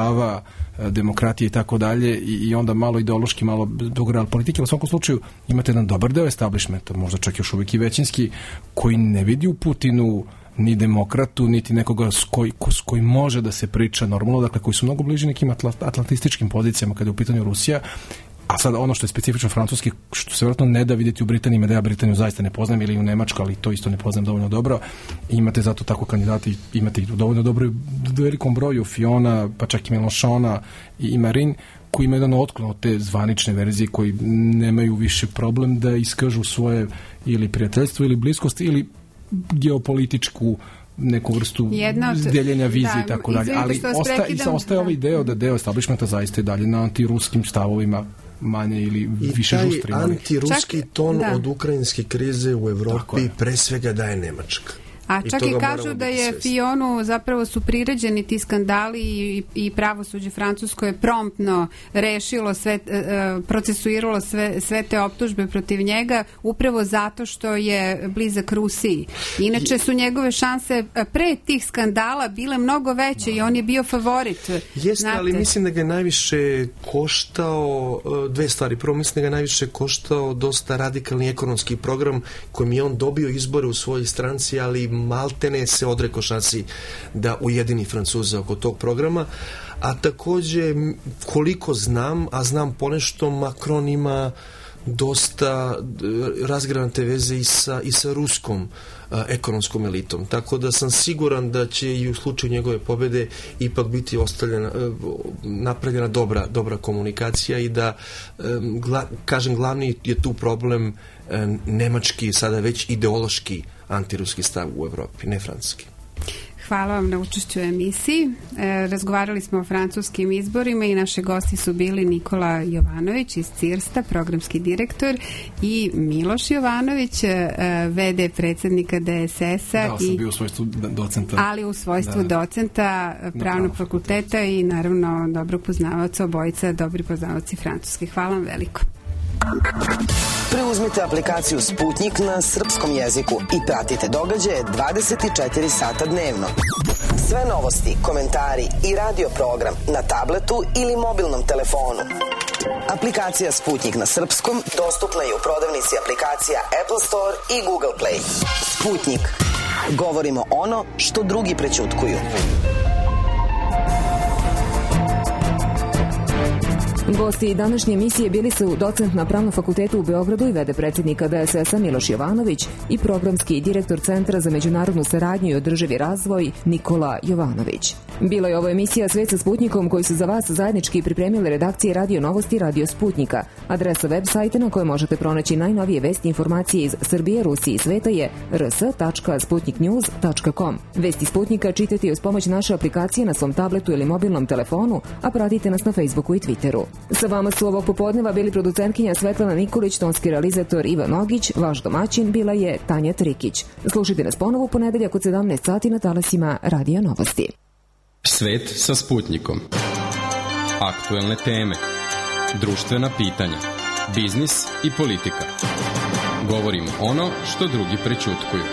demokratije i tako dalje, i onda malo ideološki, malo dogoreal politike, ali u svakom slučaju imate jedan dobar deo establishmenta, možda čak još uvijek i većinski, koji ne vidi u Putinu ni demokratu, niti nekoga s, koj, s kojim može da se priča normalno, dakle koji su mnogo bliži nekim atlantističkim pozicijama kada je u pitanju Rusija. A sad ono što je specifično francuski, što se vjerojatno ne da vidjeti u Britaniji, da ja Britaniju zaista ne poznajem, ili u Nemačku, ali to isto ne poznajem dovoljno dobro. Imate zato tako kandidati, imate ih dovoljno dobro u velikom broju, Fillona, pa čak i Mélenchona i, i Marine, koji imaju jedan otklon od te zvanične verzije, koji nemaju više problem da iskažu svoje ili prijateljstvo ili bliskost ili geopolitičku neku vrstu od, deljenja vizije i tako dalje. Ali osta, i sa, ostaje ovaj deo da deo establishmenta zaista je dalje na antiruskim stavovima manje ili više žustri. I taj antiruski ton da. Od ukrajinske krize u Evropi pre svega daje Nemačka. A čak i, i kažu da je Fillonu zapravo su priređeni ti skandali i, i pravosuđe francusko je promptno rešilo sve, procesuiralo sve, sve te optužbe protiv njega upravo zato što je blizak Rusiji. Inače su njegove šanse pre tih skandala bile mnogo veće i on je bio favorit. Jeste, ali mislim da ga je najviše koštao dve stvari. Prvo, mislim da ga je najviše koštao dosta radikalni ekonomski program kojim je on dobio izbore u svojoj stranci, ali maltene se odrekao šansi da ujedini Francuza oko tog programa, a također koliko znam, a znam ponešto, Macron ima dosta razgranate veze i sa, i sa ruskom a, ekonomskom elitom, tako da sam siguran da će i u slučaju njegove pobjede ipak biti ostavljena, napravljena dobra, dobra komunikacija i da, gla, kažem, glavni je tu problem nemački, sada već ideološki antiruski stav u Evropi, ne francuski. Hvala vam na učešću u emisiji. E, razgovarali smo o francuskim izborima i naši gosti su bili Nikola Jovanović iz Cirsta, programski direktor, i Miloš Jovanović, e, ve de predsjednika de es es-a. Da, sam bio u svojstvu docenta. Ali u svojstvu da, docenta pravnog fakulteta i naravno dobrog poznavaoca, obojica dobri poznavaoci francuski. Hvala vam veliko. Preuzmite aplikaciju Sputnik na srpskom jeziku i pratite događaje dvadeset četiri sata dnevno. Sve novosti, komentari i radio program na tabletu ili mobilnom telefonu. Aplikacija Sputnik na srpskom dostupna je u prodavnici aplikacija Apple Store i Google Play. Sputnik. Govorimo ono što drugi prećutkuju. Gosti današnje emisije bili su docent na Pravnom fakultetu u Beogradu i ve de predsjednika de es es-a Miloš Jovanović i programski direktor Centra za međunarodnu saradnju i održivi razvoj Nikola Jovanović. Bila je ovo emisija Svet sa Sputnikom koju su za vas zajednički pripremile redakcije Radio Novosti i Radio Sputnika. Adresa web sajta na kojoj možete pronaći najnovije vesti i informacije iz Srbije, Rusije i sveta je r s tačka sputnik news tačka com. Vesti Sputnika čitajte uz pomoć naše aplikacije na svom tabletu ili mobilnom telefonu, a pratite nas na Facebooku i Twitteru. Sa vama su ovog popodneva bili producentkinja Svetlana Nikolić, tonski realizator Ivan Ogić, vaš domaćin bila je Tanja Trikić. Slušajte nas ponovo u ponedeljak od sedamnaest sati na talasima Radio Novosti. Svet sa Sputnikom. Aktuelne teme, društvena pitanja, biznis i politika. Govorimo ono što drugi prećutkuju.